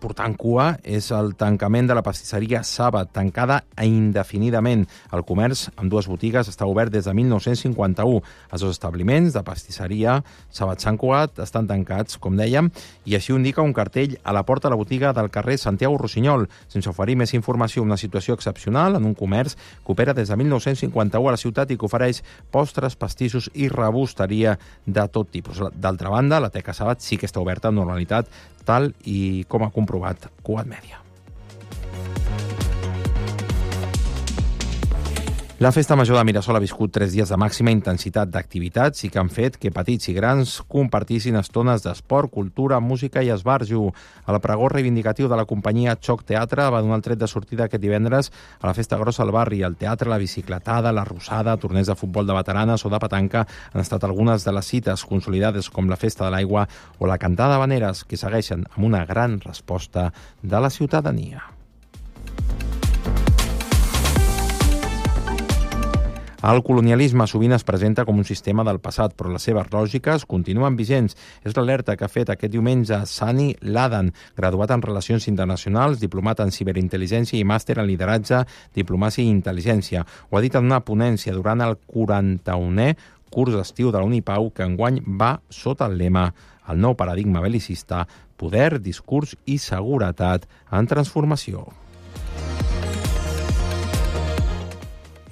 portant cua és el tancament de la pastisseria Saba, tancada indefinidament. El comerç amb 2 botigues està obert des de 1951. Els 2 establiments de pastisseria Saba Sant Cugat estan tancats, com dèiem, i així ho indica un cartell a la porta de la botiga del carrer Santiago Rossinyol. Sense oferir més informació, una situació excepcional en un comerç que opera des de 1951 a la ciutat i que ofereix postres, pastissos i rebosteria de tot tipus. D'altra banda, la Teca Saba sí que està oberta amb normalitat, tal i com ha comprovat Cugat Mèdia. La Festa Major de Mirasol ha viscut 3 dies de màxima intensitat d'activitats i que han fet que petits i grans compartissin estones d'esport, cultura, música i esbarjo. El pregó reivindicatiu de la companyia Xoc Teatre va donar el tret de sortida aquest divendres a la Festa Grossa al barri. El teatre, la bicicletada, la rosada, torneig de futbol de veteranes o de petanca han estat algunes de les cites consolidades com la Festa de l'Aigua o la Cantada d'Habaneres, que segueixen amb una gran resposta de la ciutadania. El colonialisme sovint es presenta com un sistema del passat, però les seves lògiques continuen vigents. És l'alerta que ha fet aquest diumenge Sani Ladan, graduat en Relacions Internacionals, diplomat en Ciberintel·ligència i màster en Lideratge, Diplomàcia i Intel·ligència. Ho ha dit en una ponència durant el 41è curs d'estiu de la Unipau, que enguany va sota el lema El nou paradigma belicista, poder, discurs i seguretat en transformació.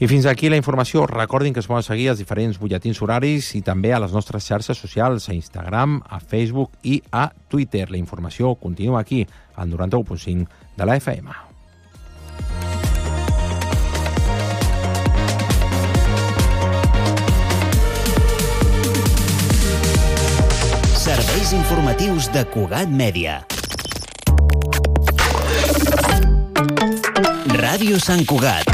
I fins aquí la informació. Recordin que es poden seguir els diferents butlletins horaris i també a les nostres xarxes socials, a Instagram, a Facebook i a Twitter. La informació continua aquí, al 91.5 de la FM. Serveis informatius de Cugat Mèdia. Ràdio Sant Cugat.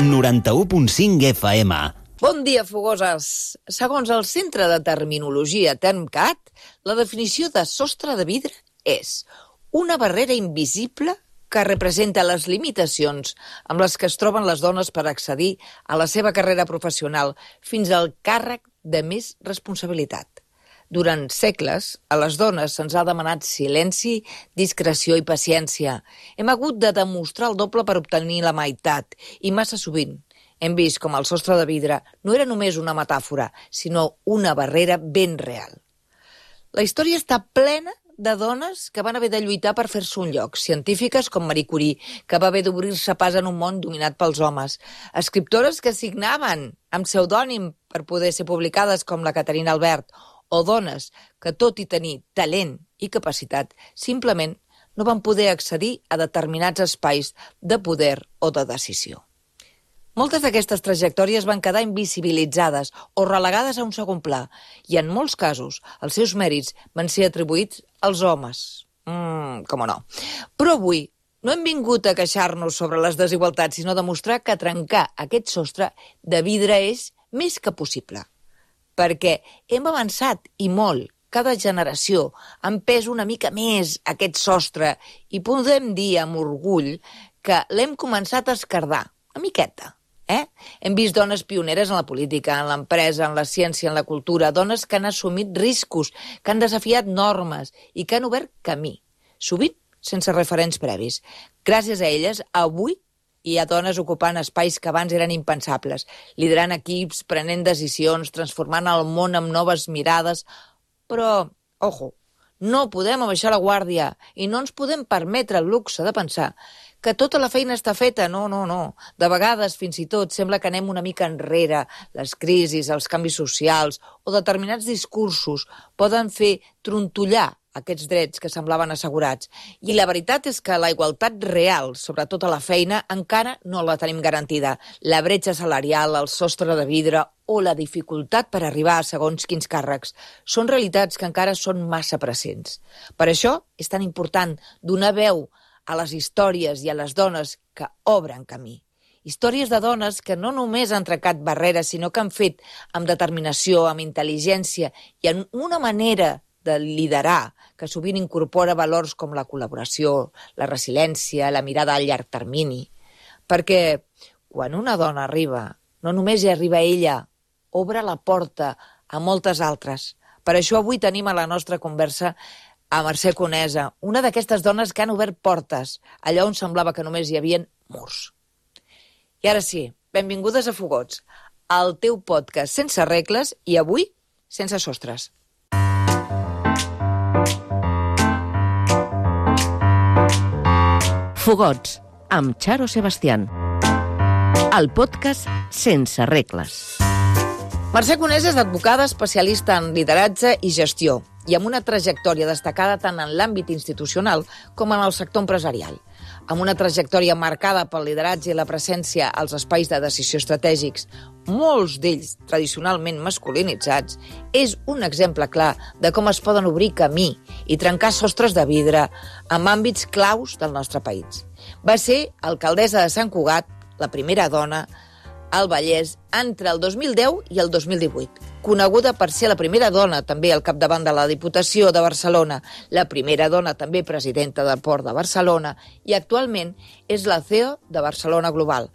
91.5 FM. Bon dia, fogoses. Segons el Centre de Terminologia TermCat, la definició de sostre de vidre és una barrera invisible que representa les limitacions amb les que es troben les dones per accedir a la seva carrera professional fins al càrrec de més responsabilitat. Durant segles, a les dones se'ns ha demanat silenci, discreció i paciència. Hem hagut de demostrar el doble per obtenir la meitat, i massa sovint hem vist com el sostre de vidre no era només una metàfora, sinó una barrera ben real. La història està plena de dones que van haver de lluitar per fer-se un lloc, científiques com Marie Curie, que va haver d'obrir-se pas en un món dominat pels homes, escriptores que signaven amb pseudònim per poder ser publicades com la Caterina Albert, o dones que, tot i tenir talent i capacitat, simplement no van poder accedir a determinats espais de poder o de decisió. Moltes d'aquestes trajectòries van quedar invisibilitzades o relegades a un segon pla, i en molts casos els seus mèrits van ser atribuïts als homes. Com no. Però avui no hem vingut a queixar-nos sobre les desigualtats, sinó a demostrar que trencar aquest sostre de vidre és més que possible. Perquè hem avançat, i molt, cada generació ha empès una mica més aquest sostre i podem dir amb orgull que l'hem començat a esquerdar, una miqueta. Hem vist dones pioneres en la política, en l'empresa, en la ciència, en la cultura, dones que han assumit riscos, que han desafiat normes i que han obert camí, sovint sense referents previs. Gràcies a elles, avui hi ha dones ocupant espais que abans eren impensables, liderant equips, prenent decisions, transformant el món amb noves mirades. Però, ojo, no podem abaixar la guàrdia i no ens podem permetre el luxe de pensar que tota la feina està feta. No. De vegades, fins i tot, sembla que anem una mica enrere. Les crisis, els canvis socials o determinats discursos poden fer trontollar aquests drets que semblaven assegurats. I la veritat és que la igualtat real, sobretot a la feina, encara no la tenim garantida. La bretxa salarial, el sostre de vidre o la dificultat per arribar a segons quins càrrecs són realitats que encara són massa presents. Per això és tan important donar veu a les històries i a les dones que obren camí. Històries de dones que no només han trencat barreres, sinó que han fet amb determinació, amb intel·ligència i amb una manera de liderar que sovint incorpora valors com la col·laboració, la resiliència, la mirada a llarg termini. Perquè quan una dona arriba, no només hi arriba ella, obre la porta a moltes altres. Per això avui tenim a la nostra conversa a Mercè Conesa, una d'aquestes dones que han obert portes, allà on semblava que només hi havia murs. I ara sí, benvingudes a Fogots, al teu podcast sense regles i avui sense sostres. Fogots, amb Charo Sebastián. El podcast sense regles. Mercè Conesa és advocada especialista en lideratge i gestió i amb una trajectòria destacada tant en l'àmbit institucional com en el sector empresarial. Amb una trajectòria marcada pel lideratge i la presència als espais de decisió estratègics, molts d'ells tradicionalment masculinitzats, és un exemple clar de com es poden obrir camí i trencar sostres de vidre en àmbits claus del nostre país. Va ser alcaldessa de Sant Cugat, la primera dona al Vallès entre el 2010 i el 2018, coneguda per ser la primera dona també al capdavant de la Diputació de Barcelona, la primera dona també presidenta del Port de Barcelona i actualment és la CEO de Barcelona Global.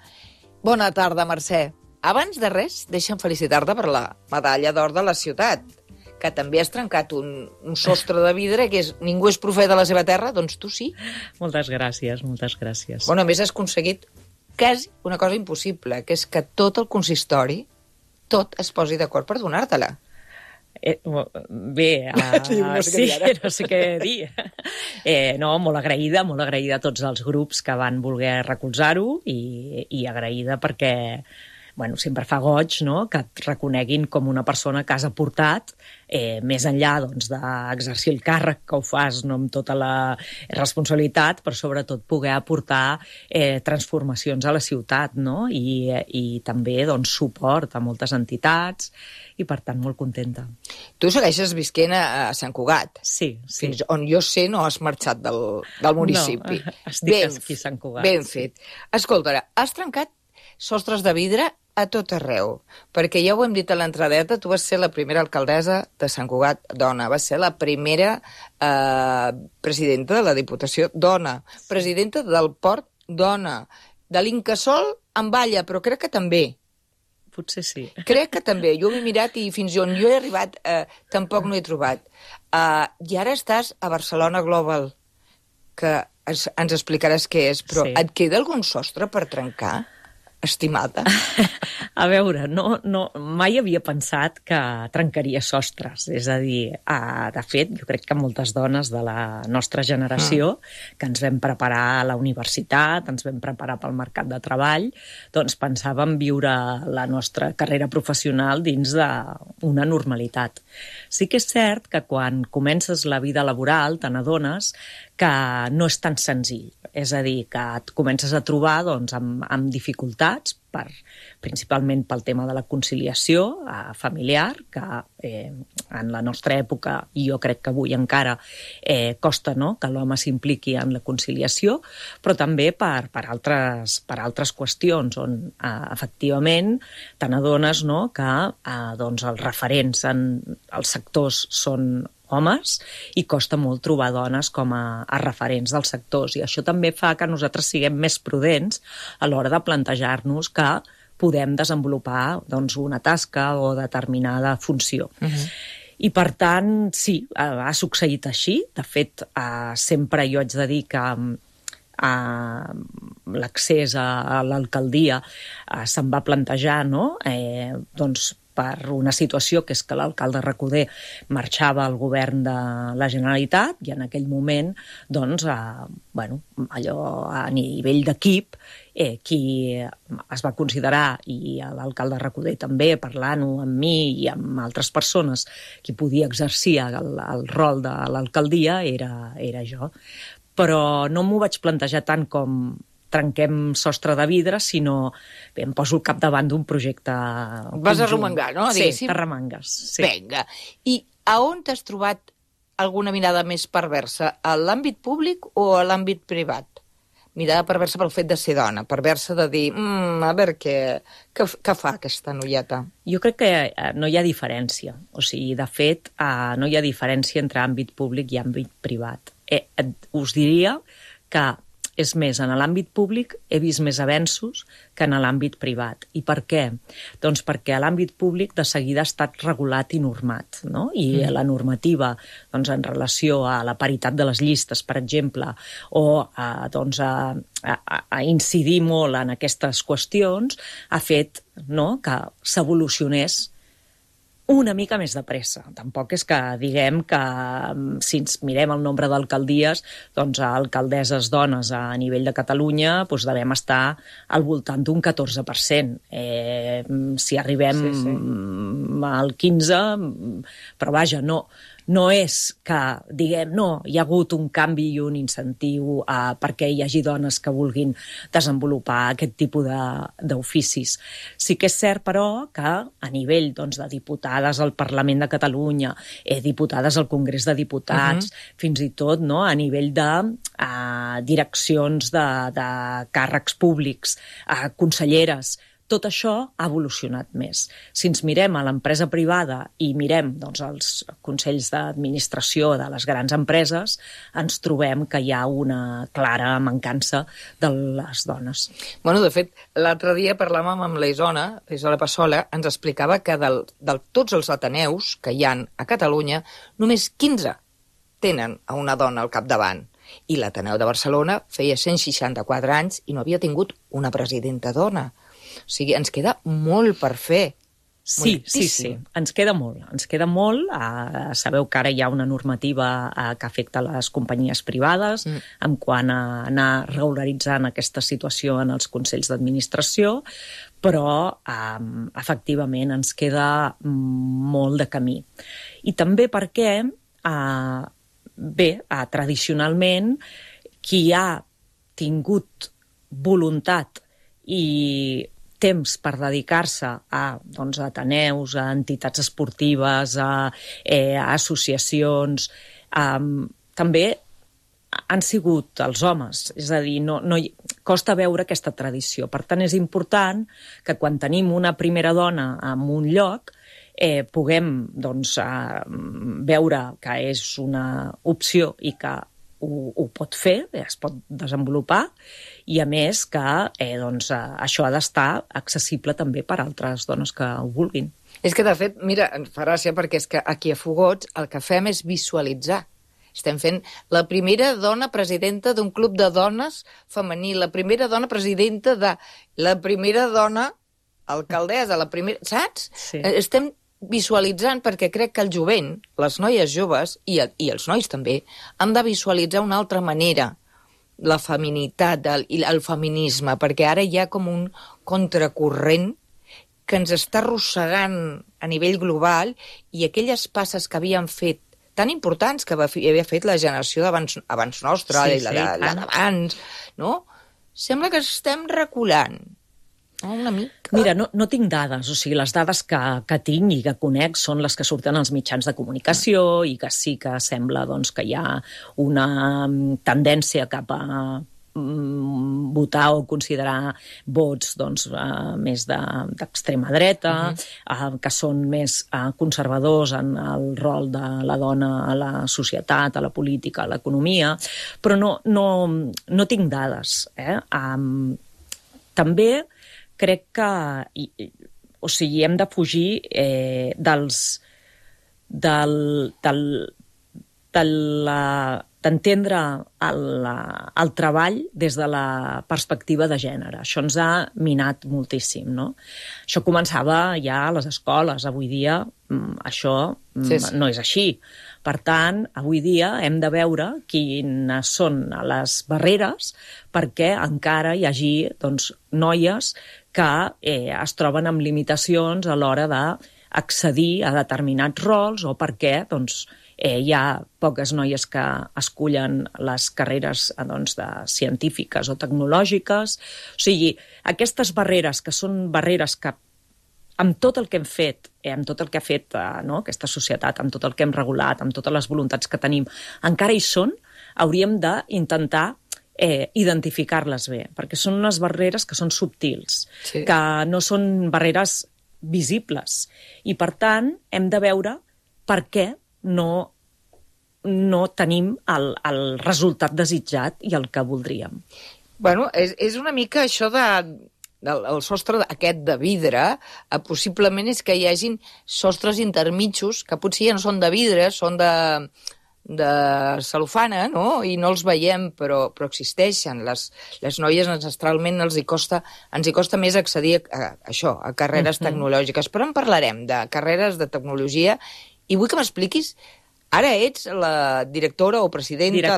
Bona tarda, Mercè. Abans de res, deixa'm felicitar-te per la medalla d'or de la ciutat, que també has trencat un sostre de vidre, que és ningú és profeta de la seva terra, doncs tu sí. Moltes gràcies, moltes gràcies. Bueno, a més has aconseguit quasi una cosa impossible, que és que tot el consistori, tot es posi d'acord per donar-te-la. Bé, no sé què dir. No, molt agraïda a tots els grups que van voler recolzar-ho i agraïda perquè sempre fa goig, no?, que et reconeguin com una persona que has aportat, més enllà d'exercir el càrrec que ho fas amb tota la responsabilitat, però sobretot poder aportar transformacions a la ciutat, no?, i també suport a moltes entitats, i per tant molt contenta. Tu segueixes visquent a Sant Cugat. Sí. Fins on jo sé no has marxat del municipi. No, estic aquí a Sant Cugat. Ben fet. Escolta, has trencat sostres de vidre a tot arreu, perquè ja ho hem dit a l'entradeta, tu vas ser la primera alcaldessa de Sant Cugat dona, vas ser la primera presidenta de la Diputació dona, presidenta del Port dona, de l'Incasòl en Balla, però crec que també. Potser sí. Crec que també. Jo ho he mirat i fins on jo he arribat tampoc no he trobat. I ara estàs a Barcelona Global, que ens explicaràs què és, però et queda algun sostre per trencar, estimada? A veure, mai havia pensat que trencaria sostres. És a dir, de fet, jo crec que moltes dones de la nostra generació, que ens vam preparar a la universitat, ens vam preparar pel mercat de treball, doncs pensàvem viure la nostra carrera professional dins d'una normalitat. Sí que és cert que quan comences la vida laboral te n'adones que no és tan senzill. És a dir, que et comences a trobar amb dificultats, principalment pel tema de la conciliació familiar, que en la nostra època, i jo crec que avui encara, costa que l'home s'impliqui en la conciliació, però també per altres qüestions, on efectivament te n'adones que els referents en els sectors són homes i costa molt trobar dones com a referents dels sectors, i això també fa que nosaltres siguem més prudents a l'hora de plantejar-nos que podem desenvolupar una tasca o determinada funció. I per tant, sí, ha succeït així. De fet, sempre jo haig de dir que l'accés a l'alcaldia se'n va plantejar, per una situació que és que l'alcalde Recoder marxava al govern de la Generalitat i en aquell moment, allò a nivell d'equip, qui es va considerar, i l'alcalde Recoder també, parlant-ho amb mi i amb altres persones, qui podia exercir el rol de l'alcaldia era jo. Però no m'ho vaig plantejar tant com trenquem sostre de vidre, sinó em poso al capdavant d'un projecte conjunt. Vas arremangar, no? Sí, arremangues. Sí. Vinga. I a on t'has trobat alguna mirada més perversa? A l'àmbit públic o a l'àmbit privat? Mirada perversa pel fet de ser dona, perversa de dir, a veure què fa aquesta noieta? Jo crec que no hi ha diferència. O sigui, de fet, no hi ha diferència entre àmbit públic i àmbit privat. Us diria que és més, en l'àmbit públic he vist més avenços que en l'àmbit privat. I per què? Doncs perquè a l'àmbit públic de seguida ha estat regulat i normat, no? I la normativa en relació a la paritat de les llistes, per exemple, o a incidir molt en aquestes qüestions, ha fet que s'evolucionés una mica més de pressa. Tampoc és que diguem que si ens mirem el nombre d'alcaldies, alcaldesses dones a nivell de Catalunya devem estar al voltant d'un 14%. Si arribem al 15%, però vaja, no és que diguem, hi ha hagut un canvi i un incentiu perquè hi hagi dones que vulguin desenvolupar aquest tipus d'oficis. Sí que és cert, però, que a nivell de diputades al Parlament de Catalunya, diputades al Congrés de Diputats, fins i tot a nivell de direccions de càrrecs públics, conselleres, tot això ha evolucionat més. Si ens mirem a l'empresa privada i mirem els consells d'administració de les grans empreses, ens trobem que hi ha una clara mancança de les dones. Bueno, de fet, l'altre dia parlàvem amb la Isona Passola, ens explicava que de tots els ateneus que hi ha a Catalunya, només 15 tenen a una dona al capdavant. I l'Ateneu de Barcelona feia 164 anys i no havia tingut una presidenta dona. O sigui, ens queda molt per fer. Sí, ens queda molt. Sabeu que ara hi ha una normativa que afecta les companyies privades en quant a anar regularitzant aquesta situació en els consells d'administració, però efectivament ens queda molt de camí. I també perquè, tradicionalment, qui ha tingut voluntat i temps per dedicar-se a ateneus, a entitats esportives, a associacions, també han sigut els homes. És a dir, costa veure aquesta tradició. Per tant, és important que quan tenim una primera dona en un lloc puguem veure que és una opció i que ho pot fer, es pot desenvolupar, i a més que això ha d'estar accessible també per a altres dones que ho vulguin. És que, de fet, mira, em fa gràcia perquè és que aquí a Fogots el que fem és visualitzar. Estem fent la primera dona presidenta d'un club de dones femení, la primera dona presidenta de... la primera dona alcaldessa, la primera... Saps? Sí. Estem visualitzant perquè crec que el jovent, les noies joves i els nois també, han de visualitzar una altra manera la feminitat i el feminisme, perquè ara hi ha com un contracorrent que ens està arrossegant a nivell global i aquelles passes que havien fet tan importants que havia fet la generació abans nostra, la d'abans, no? Sembla que estem reculant. Una mica. Mira, no tinc dades, o sigui, les dades que tinc i que conec són les que surten als mitjans de comunicació i que sí que sembla que hi ha una tendència cap a votar o considerar vots més d'extrema dreta, que són més conservadors en el rol de la dona a la societat, a la política, a l'economia, però no tinc dades. També crec que hem de fugir d'entendre el treball des de la perspectiva de gènere. Això ens ha minat moltíssim, no? Això començava ja a les escoles. Avui dia això no és així. Per tant, avui dia hem de veure quines són les barreres perquè encara hi hagi noies que es troben amb limitacions a l'hora d'accedir a determinats rols o perquè hi ha poques noies que escullen les carreres de científiques o tecnològiques. O sigui, aquestes barreres que són barreres que amb tot el que hem fet, amb tot el que ha fet aquesta societat, amb tot el que hem regulat, amb totes les voluntats que tenim, encara hi són, hauríem d'intentar identificar-les bé, perquè són unes barreres que són subtils, que no són barreres visibles. I, per tant, hem de veure per què no tenim el resultat desitjat i el que voldríem. Bueno, és una mica això el sostre aquest de vidre, possiblement és que hi hagin sostres intermitjos que potser ja no són de vidre, són de cel·lofana, no? I no els veiem, però existeixen. Les noies ancestralment ens hi costa més accedir a carreres tecnològiques. Però en parlarem de carreres de tecnologia i vull que m'expliquis, ara ets la directora o presidenta,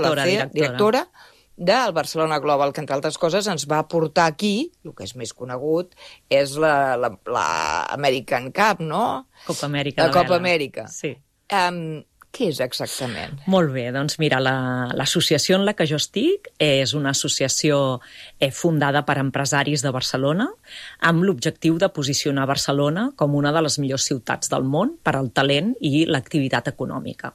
directora del Barcelona Global, que entre altres coses ens va portar aquí, el que és més conegut, és l'American Cup, no? Copa Amèrica. La Copa Amèrica. Sí. Què és exactament? Molt bé, doncs mira, l'associació en la que jo estic és una associació fundada per empresaris de Barcelona amb l'objectiu de posicionar Barcelona com una de les millors ciutats del món per al talent i l'activitat econòmica.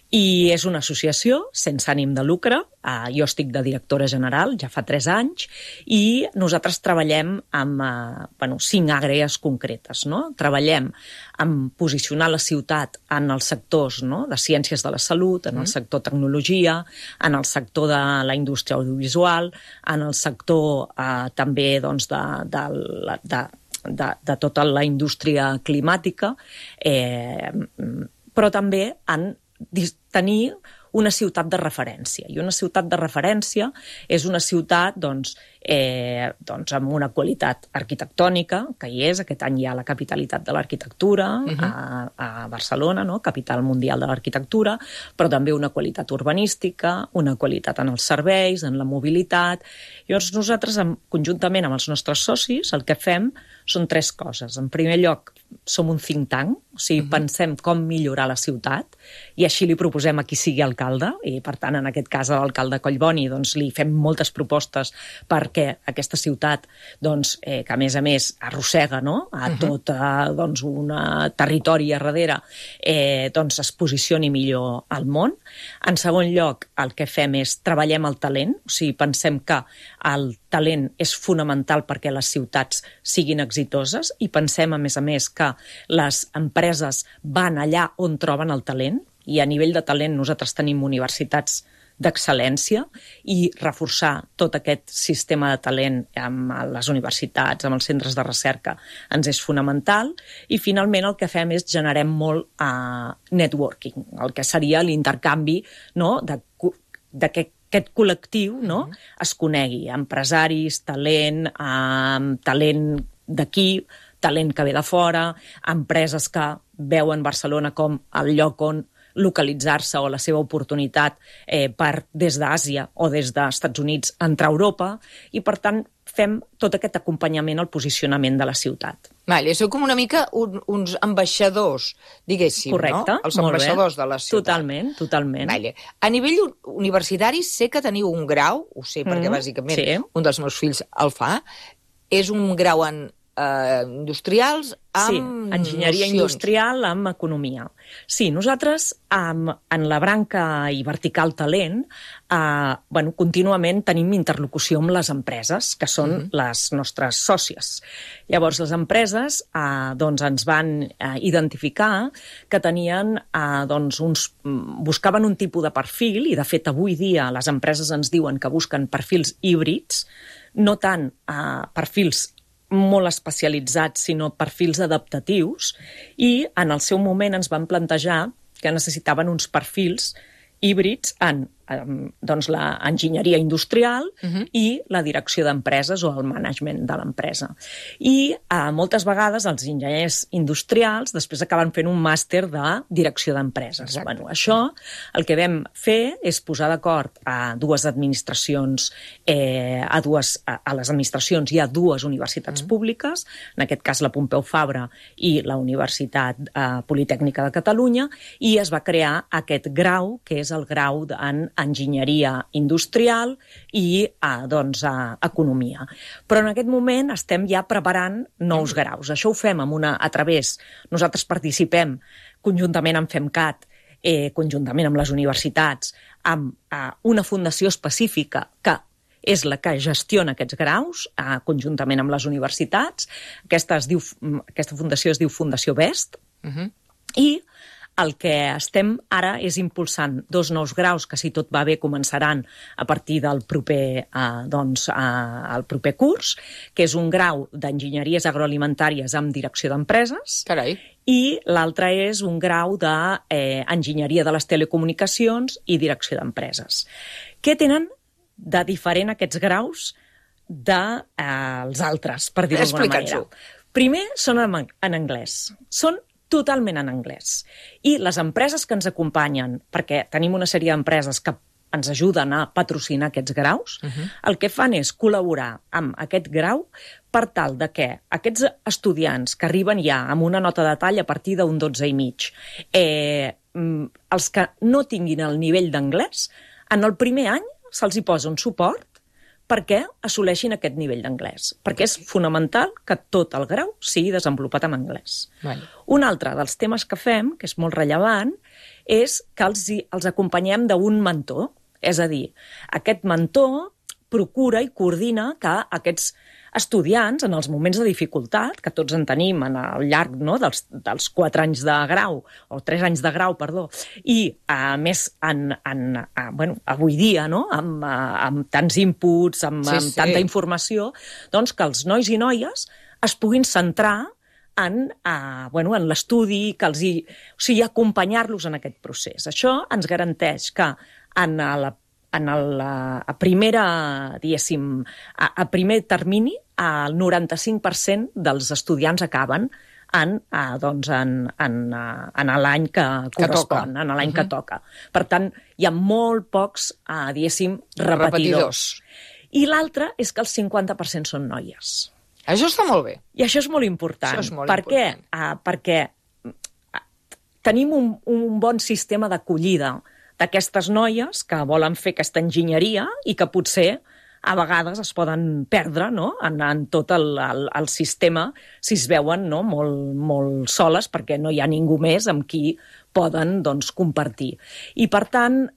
I és una associació sense ànim de lucre, jo estic de directora general, ja fa 3 anys, i nosaltres treballem amb 5 àrees concretes. No? Treballem en posicionar la ciutat en els sectors de ciències de la salut, en el sector tecnologia, en el sector de la indústria audiovisual, en el sector també de tota la indústria climàtica, però també en tenir una ciutat de referència. I una ciutat de referència és una ciutat amb una qualitat arquitectònica, que hi és. Aquest any hi ha la capitalitat de l'arquitectura a Barcelona, no? Capital mundial de l'arquitectura, però també una qualitat urbanística, una qualitat en els serveis, en la mobilitat. Llavors nosaltres, conjuntament amb els nostres socis, el que fem són 3 coses. En primer lloc, som un think tank, o sigui, pensem com millorar la ciutat i així li proposem a qui sigui el l'alcalde, i per tant, en aquest cas, a l'alcalde Collboni, doncs, li fem moltes propostes perquè aquesta ciutat, doncs, que a més arrossega, no?, a tot doncs, un territori a darrere, doncs, es posicioni millor al món. En segon lloc, el que fem és treballem el talent, o sigui, pensem que el talent és fonamental perquè les ciutats siguin exitoses i pensem, a més, que les empreses van allà on troben el talent, i a nivell de talent nosaltres tenim universitats d'excel·lència i reforçar tot aquest sistema de talent amb les universitats, amb els centres de recerca, ens és fonamental. I finalment el que fem és generem molt networking, el que seria l'intercanvi, no?, de que aquest col·lectiu, no?, es conegui. Empresaris, talent, talent d'aquí, talent que ve de fora, empreses que veuen Barcelona com el lloc on localitzar-se o la seva oportunitat per des d'Àsia o des dels Estats Units entrar a Europa, i per tant fem tot aquest acompanyament al posicionament de la ciutat. Vale, sou com una mica uns ambaixadors, diguéssim, correcte, no? Els ambaixadors de la ciutat. Totalment. Vale. A nivell universitari sé que teniu un grau, ho sé perquè bàsicament un dels meus fills el fa, és un grau en industrials amb enginyeria industrial amb economia. Sí, nosaltres en la branca i vertical talent contínuament tenim interlocució amb les empreses, que són les nostres sòcies. Llavors, les empreses ens van identificar que tenien buscaven un tipus de perfil, i de fet avui dia les empreses ens diuen que busquen perfils híbrids, no tant perfils molt especialitzats, sinó perfils adaptatius, i en el seu moment ens van plantejar que necessitaven uns perfils híbrids en la enginyeria industrial i la direcció d'empreses o el management de l'empresa. I moltes vegades els enginyers industrials després acaben fent un màster de direcció d'empreses. Això el que vam fer és posar d'acord a dues administracions, a les administracions hi ha dues universitats públiques, en aquest cas la Pompeu Fabra i la Universitat Politècnica de Catalunya, i es va crear aquest grau, que és el grau en enginyeria industrial i economia. Però en aquest moment estem ja preparant nous graus. Això ho fem a través, nosaltres participem conjuntament amb FEMCAT, conjuntament amb les universitats, amb una fundació específica que és la que gestiona aquests graus, conjuntament amb les universitats. Aquesta fundació es diu Fundació BEST, i el que estem ara és impulsant dos nous graus que, si tot va bé, començaran a partir del proper curs, que és un grau d'enginyeries agroalimentàries amb direcció d'empreses, i l'altre és un grau d'enginyeria de les telecomunicacions i direcció d'empreses. Què tenen de diferent aquests graus dels altres, per dir-ho d'alguna manera? Primer, són en anglès. Són totalment en anglès. I les empreses que ens acompanyen, perquè tenim una sèrie d'empreses que ens ajuden a patrocinar aquests graus, el que fan és col·laborar amb aquest grau per tal de que aquests estudiants que arriben ja amb una nota de tall a partir d'un 12,5, els que no tinguin el nivell d'anglès, en el primer any se'ls hi posa un suport perquè assoleixin aquest nivell d'anglès, perquè és fonamental que tot el grau sigui desenvolupat en anglès. Un altre dels temes que fem, que és molt rellevant, és que els acompanyem d'un mentor. És a dir, aquest mentor procura i coordina que aquests estudiants, en els moments de dificultat, que tots en tenim al llarg dels 4 anys de grau, o 3 anys de grau, perdó, i a més avui dia, amb tants inputs, amb tanta informació, doncs que els nois i noies es puguin centrar en l'estudi, o sigui, acompanyar-los en aquest procés. Això ens garanteix que a primer termini, el 95% dels estudiants acaben en l'any que correspon, en l'any que toca. Per tant, hi ha molt pocs, repetidors. I l'altre és que el 50% són noies. Això està molt bé. I això és molt important. Per què? Perquè tenim un bon sistema d'acollida d'aquestes noies que volen fer aquesta enginyeria i que potser a vegades es poden perdre, no?, en tot el sistema si es veuen, no?, molt soles perquè no hi ha ningú més amb qui poden, doncs, compartir. I, per tant,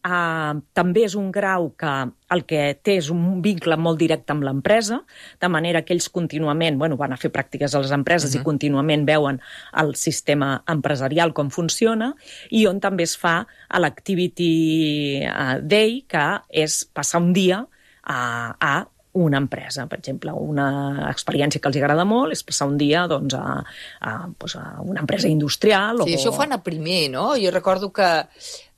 també és un grau que el que té és un vincle molt directe amb l'empresa, de manera que ells contínuament van a fer pràctiques a les empreses i contínuament veuen el sistema empresarial com funciona, i on també es fa l'Activity Day, que és passar un dia a una empresa. Per exemple, una experiència que els agrada molt és passar un dia doncs, a una empresa industrial. Sí, això ho fan a primer, no? Jo recordo que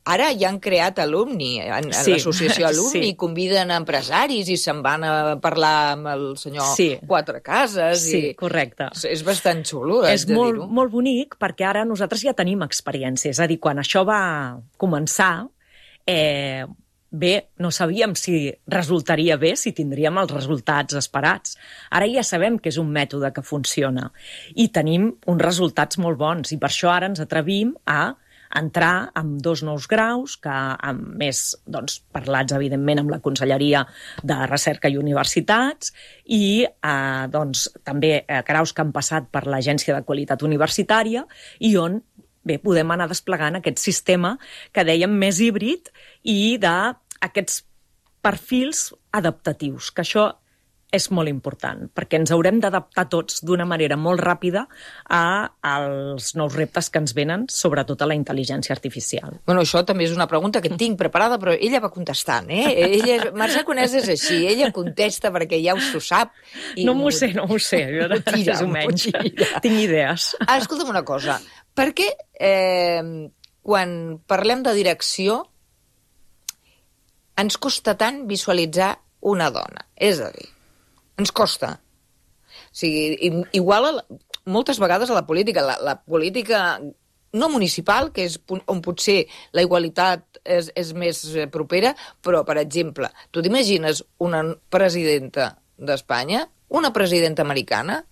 ara ja han creat Alumni, l'associació Alumni, conviden empresaris i se'n van a parlar amb el senyor Quatre Cases. Sí, correcte. És bastant xulo, és de dir-ho. És molt bonic perquè ara nosaltres ja tenim experiència. És a dir, quan això va començar, no sabíem si resultaria bé, si tindríem els resultats esperats. Ara ja sabem que és un mètode que funciona i tenim uns resultats molt bons i per això ara ens atrevim a entrar amb 2 nous graus, que més parlats, evidentment, amb la Conselleria de Recerca i Universitats i també graus que han passat per l'Agència de Qualitat Universitària i on podem anar desplegant aquest sistema que dèiem més híbrid i d'aquests perfils adaptatius, que això és molt important, perquè ens haurem d'adaptar tots d'una manera molt ràpida als nous reptes que ens venen, sobretot a la intel·ligència artificial. Bueno, això també és una pregunta que tinc preparada, però ella va contestant, Mercè Conesa és així, ella contesta perquè ja s'ho sap. No m'ho sé, jo més o menys tinc idees. Escolta'm una cosa, per què quan parlem de direcció ens costa tant visualitzar una dona? És a dir, ens costa. O sigui, igual moltes vegades a la política, la política no municipal, que és on potser la igualtat és més propera, però, per exemple, tu t'imagines una presidenta d'Espanya, una presidenta americana,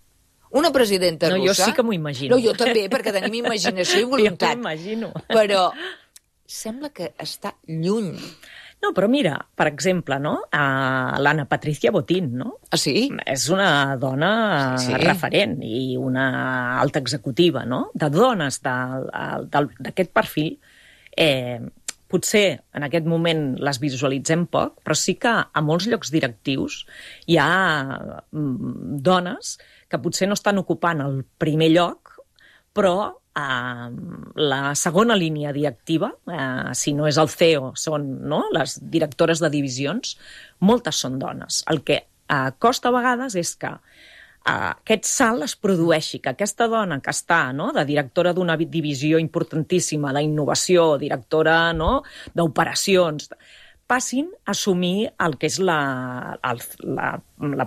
una presidenta russa... No, jo sí que m'ho imagino. No, jo també, perquè tenim imaginació i voluntat. Jo m'ho imagino. Però sembla que està lluny. No, però mira, per exemple, no? L'Anna Patricia Botín, no? Ah, sí? És una dona referent i una alta executiva, no? De dones d'aquest perfil, potser en aquest moment les visualitzem poc, però sí que a molts llocs directius hi ha dones que potser no estan ocupant el primer lloc, però la segona línia directiva, si no és el CEO, són les directores de divisions, moltes són dones. El que costa a vegades és que aquest salt es produeixi, que aquesta dona que està de directora d'una divisió importantíssima d'innovació, directora d'operacions, passin a assumir el que és la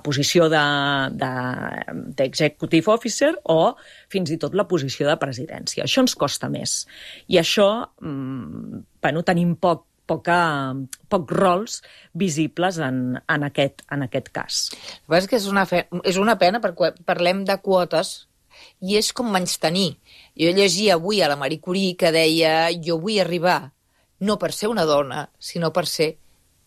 posició d'executive officer o fins i tot la posició de presidència. Això ens costa més. I això, tenim pocs rols visibles en aquest cas. El que passa és que és una pena perquè parlem de quotes i és com menystenir. Jo llegia avui a la Marie Curie que deia jo vull arribar no per ser una dona, sinó per ser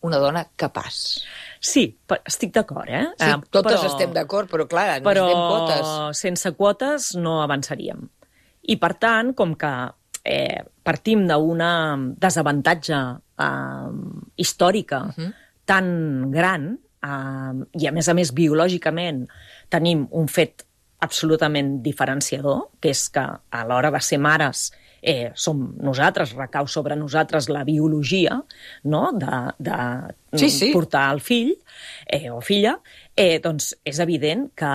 una dona capaç. Sí, estic d'acord, Sí, totes estem d'acord, però clar, necessitem quotes. Però sense quotes no avançaríem. I per tant, com que partim d'una desavantatge històrica tan gran, i a més biològicament tenim un fet absolutament diferenciador, que és que a l'hora de ser mares som nosaltres, recau sobre nosaltres la biologia de portar el fill o filla, doncs és evident que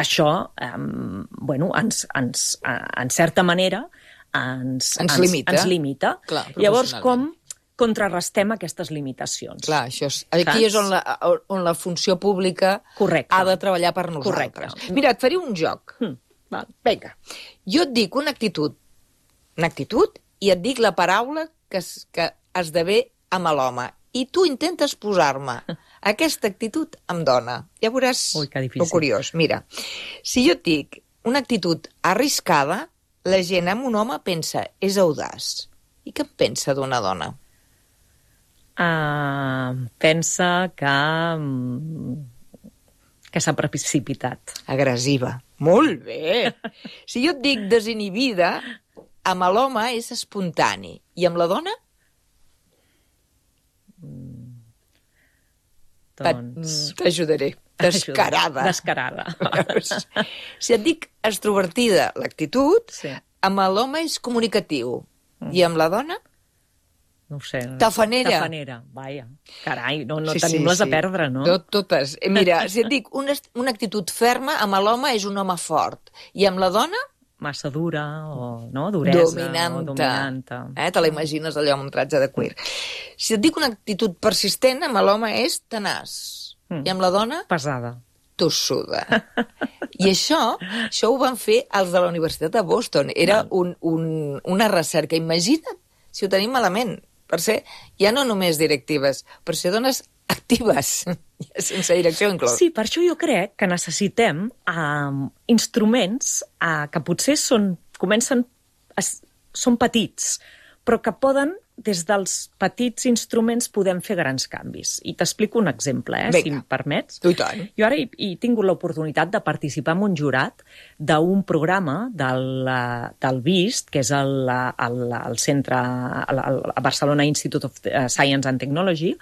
això, en certa manera, ens limita. Clar, llavors, com contrarrestem aquestes limitacions? Clar, aquí és on la funció pública ha de treballar per nosaltres. Correcte. Mira, et faré un joc. Vinga. Jo et dic una actitud i et dic la paraula que esdevé amb l'home. I tu intentes posar-me aquesta actitud amb dona. Ja veuràs lo curiós. Mira, si jo et dic una actitud arriscada, la gent amb un home pensa és audaç. I què en pensa d'una dona? Pensa que s'ha precipitat. Agressiva. Molt bé! Si jo et dic desinhibida, amb l'home és espontani. I amb la dona? Doncs... T'ajudaré. Descarada. Descarada. Si et dic extrovertida, l'actitud, amb l'home és comunicatiu. I amb la dona? No ho sé. Tafanera. Tafanera, vaja. Carai, no tenim les a perdre, no? Totes. Mira, si et dic una actitud ferma, amb l'home és un home fort. I amb la dona? Massa dura, o no? Duresa. Dominanta. Te la imagines allò amb un tratge de cuir. Si et dic una actitud persistent, amb l'home és tenaç. I amb la dona? Pesada. Tossuda. I això ho van fer els de la Universitat de Boston. Era una recerca. Imagina't si ho tenim malament. Per ser, ja no només directives, per ser dones actives, sense direcció inclòs. Sí, per això jo crec que necessitem instruments que potser són petits, però que poden, des dels petits instruments, podem fer grans canvis. I t'explico un exemple, si em permets. I tant. Jo ara he tingut l'oportunitat de participar en un jurat d'un programa del BIST, que és el centre, a Barcelona Institute of Science and Technology,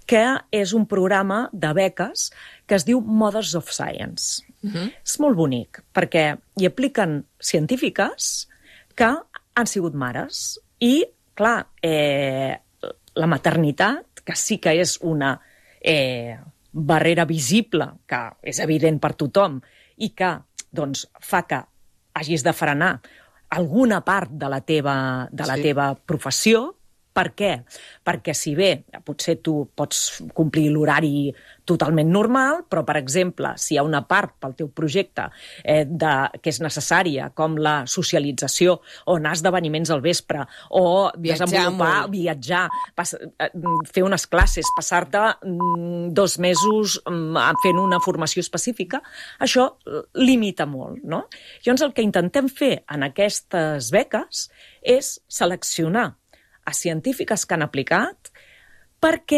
que és un programa de beques que es diu Mothers of Science. És molt bonic, perquè hi apliquen científiques que han sigut mares i clar, la maternitat, que sí que és una barrera visible, que és evident per tothom, i que doncs, fa que hagis de frenar alguna part de la teva professió. Per què? Perquè si bé potser tu pots complir l'horari totalment normal, però, per exemple, si hi ha una part pel teu projecte que és necessària, com la socialització, o anar a esdeveniments al vespre, o viatjar, fer unes classes, passar-te 2 mesos fent una formació específica, això limita molt, no? Llavors, el que intentem fer en aquestes beques és seleccionar a científiques que han aplicat perquè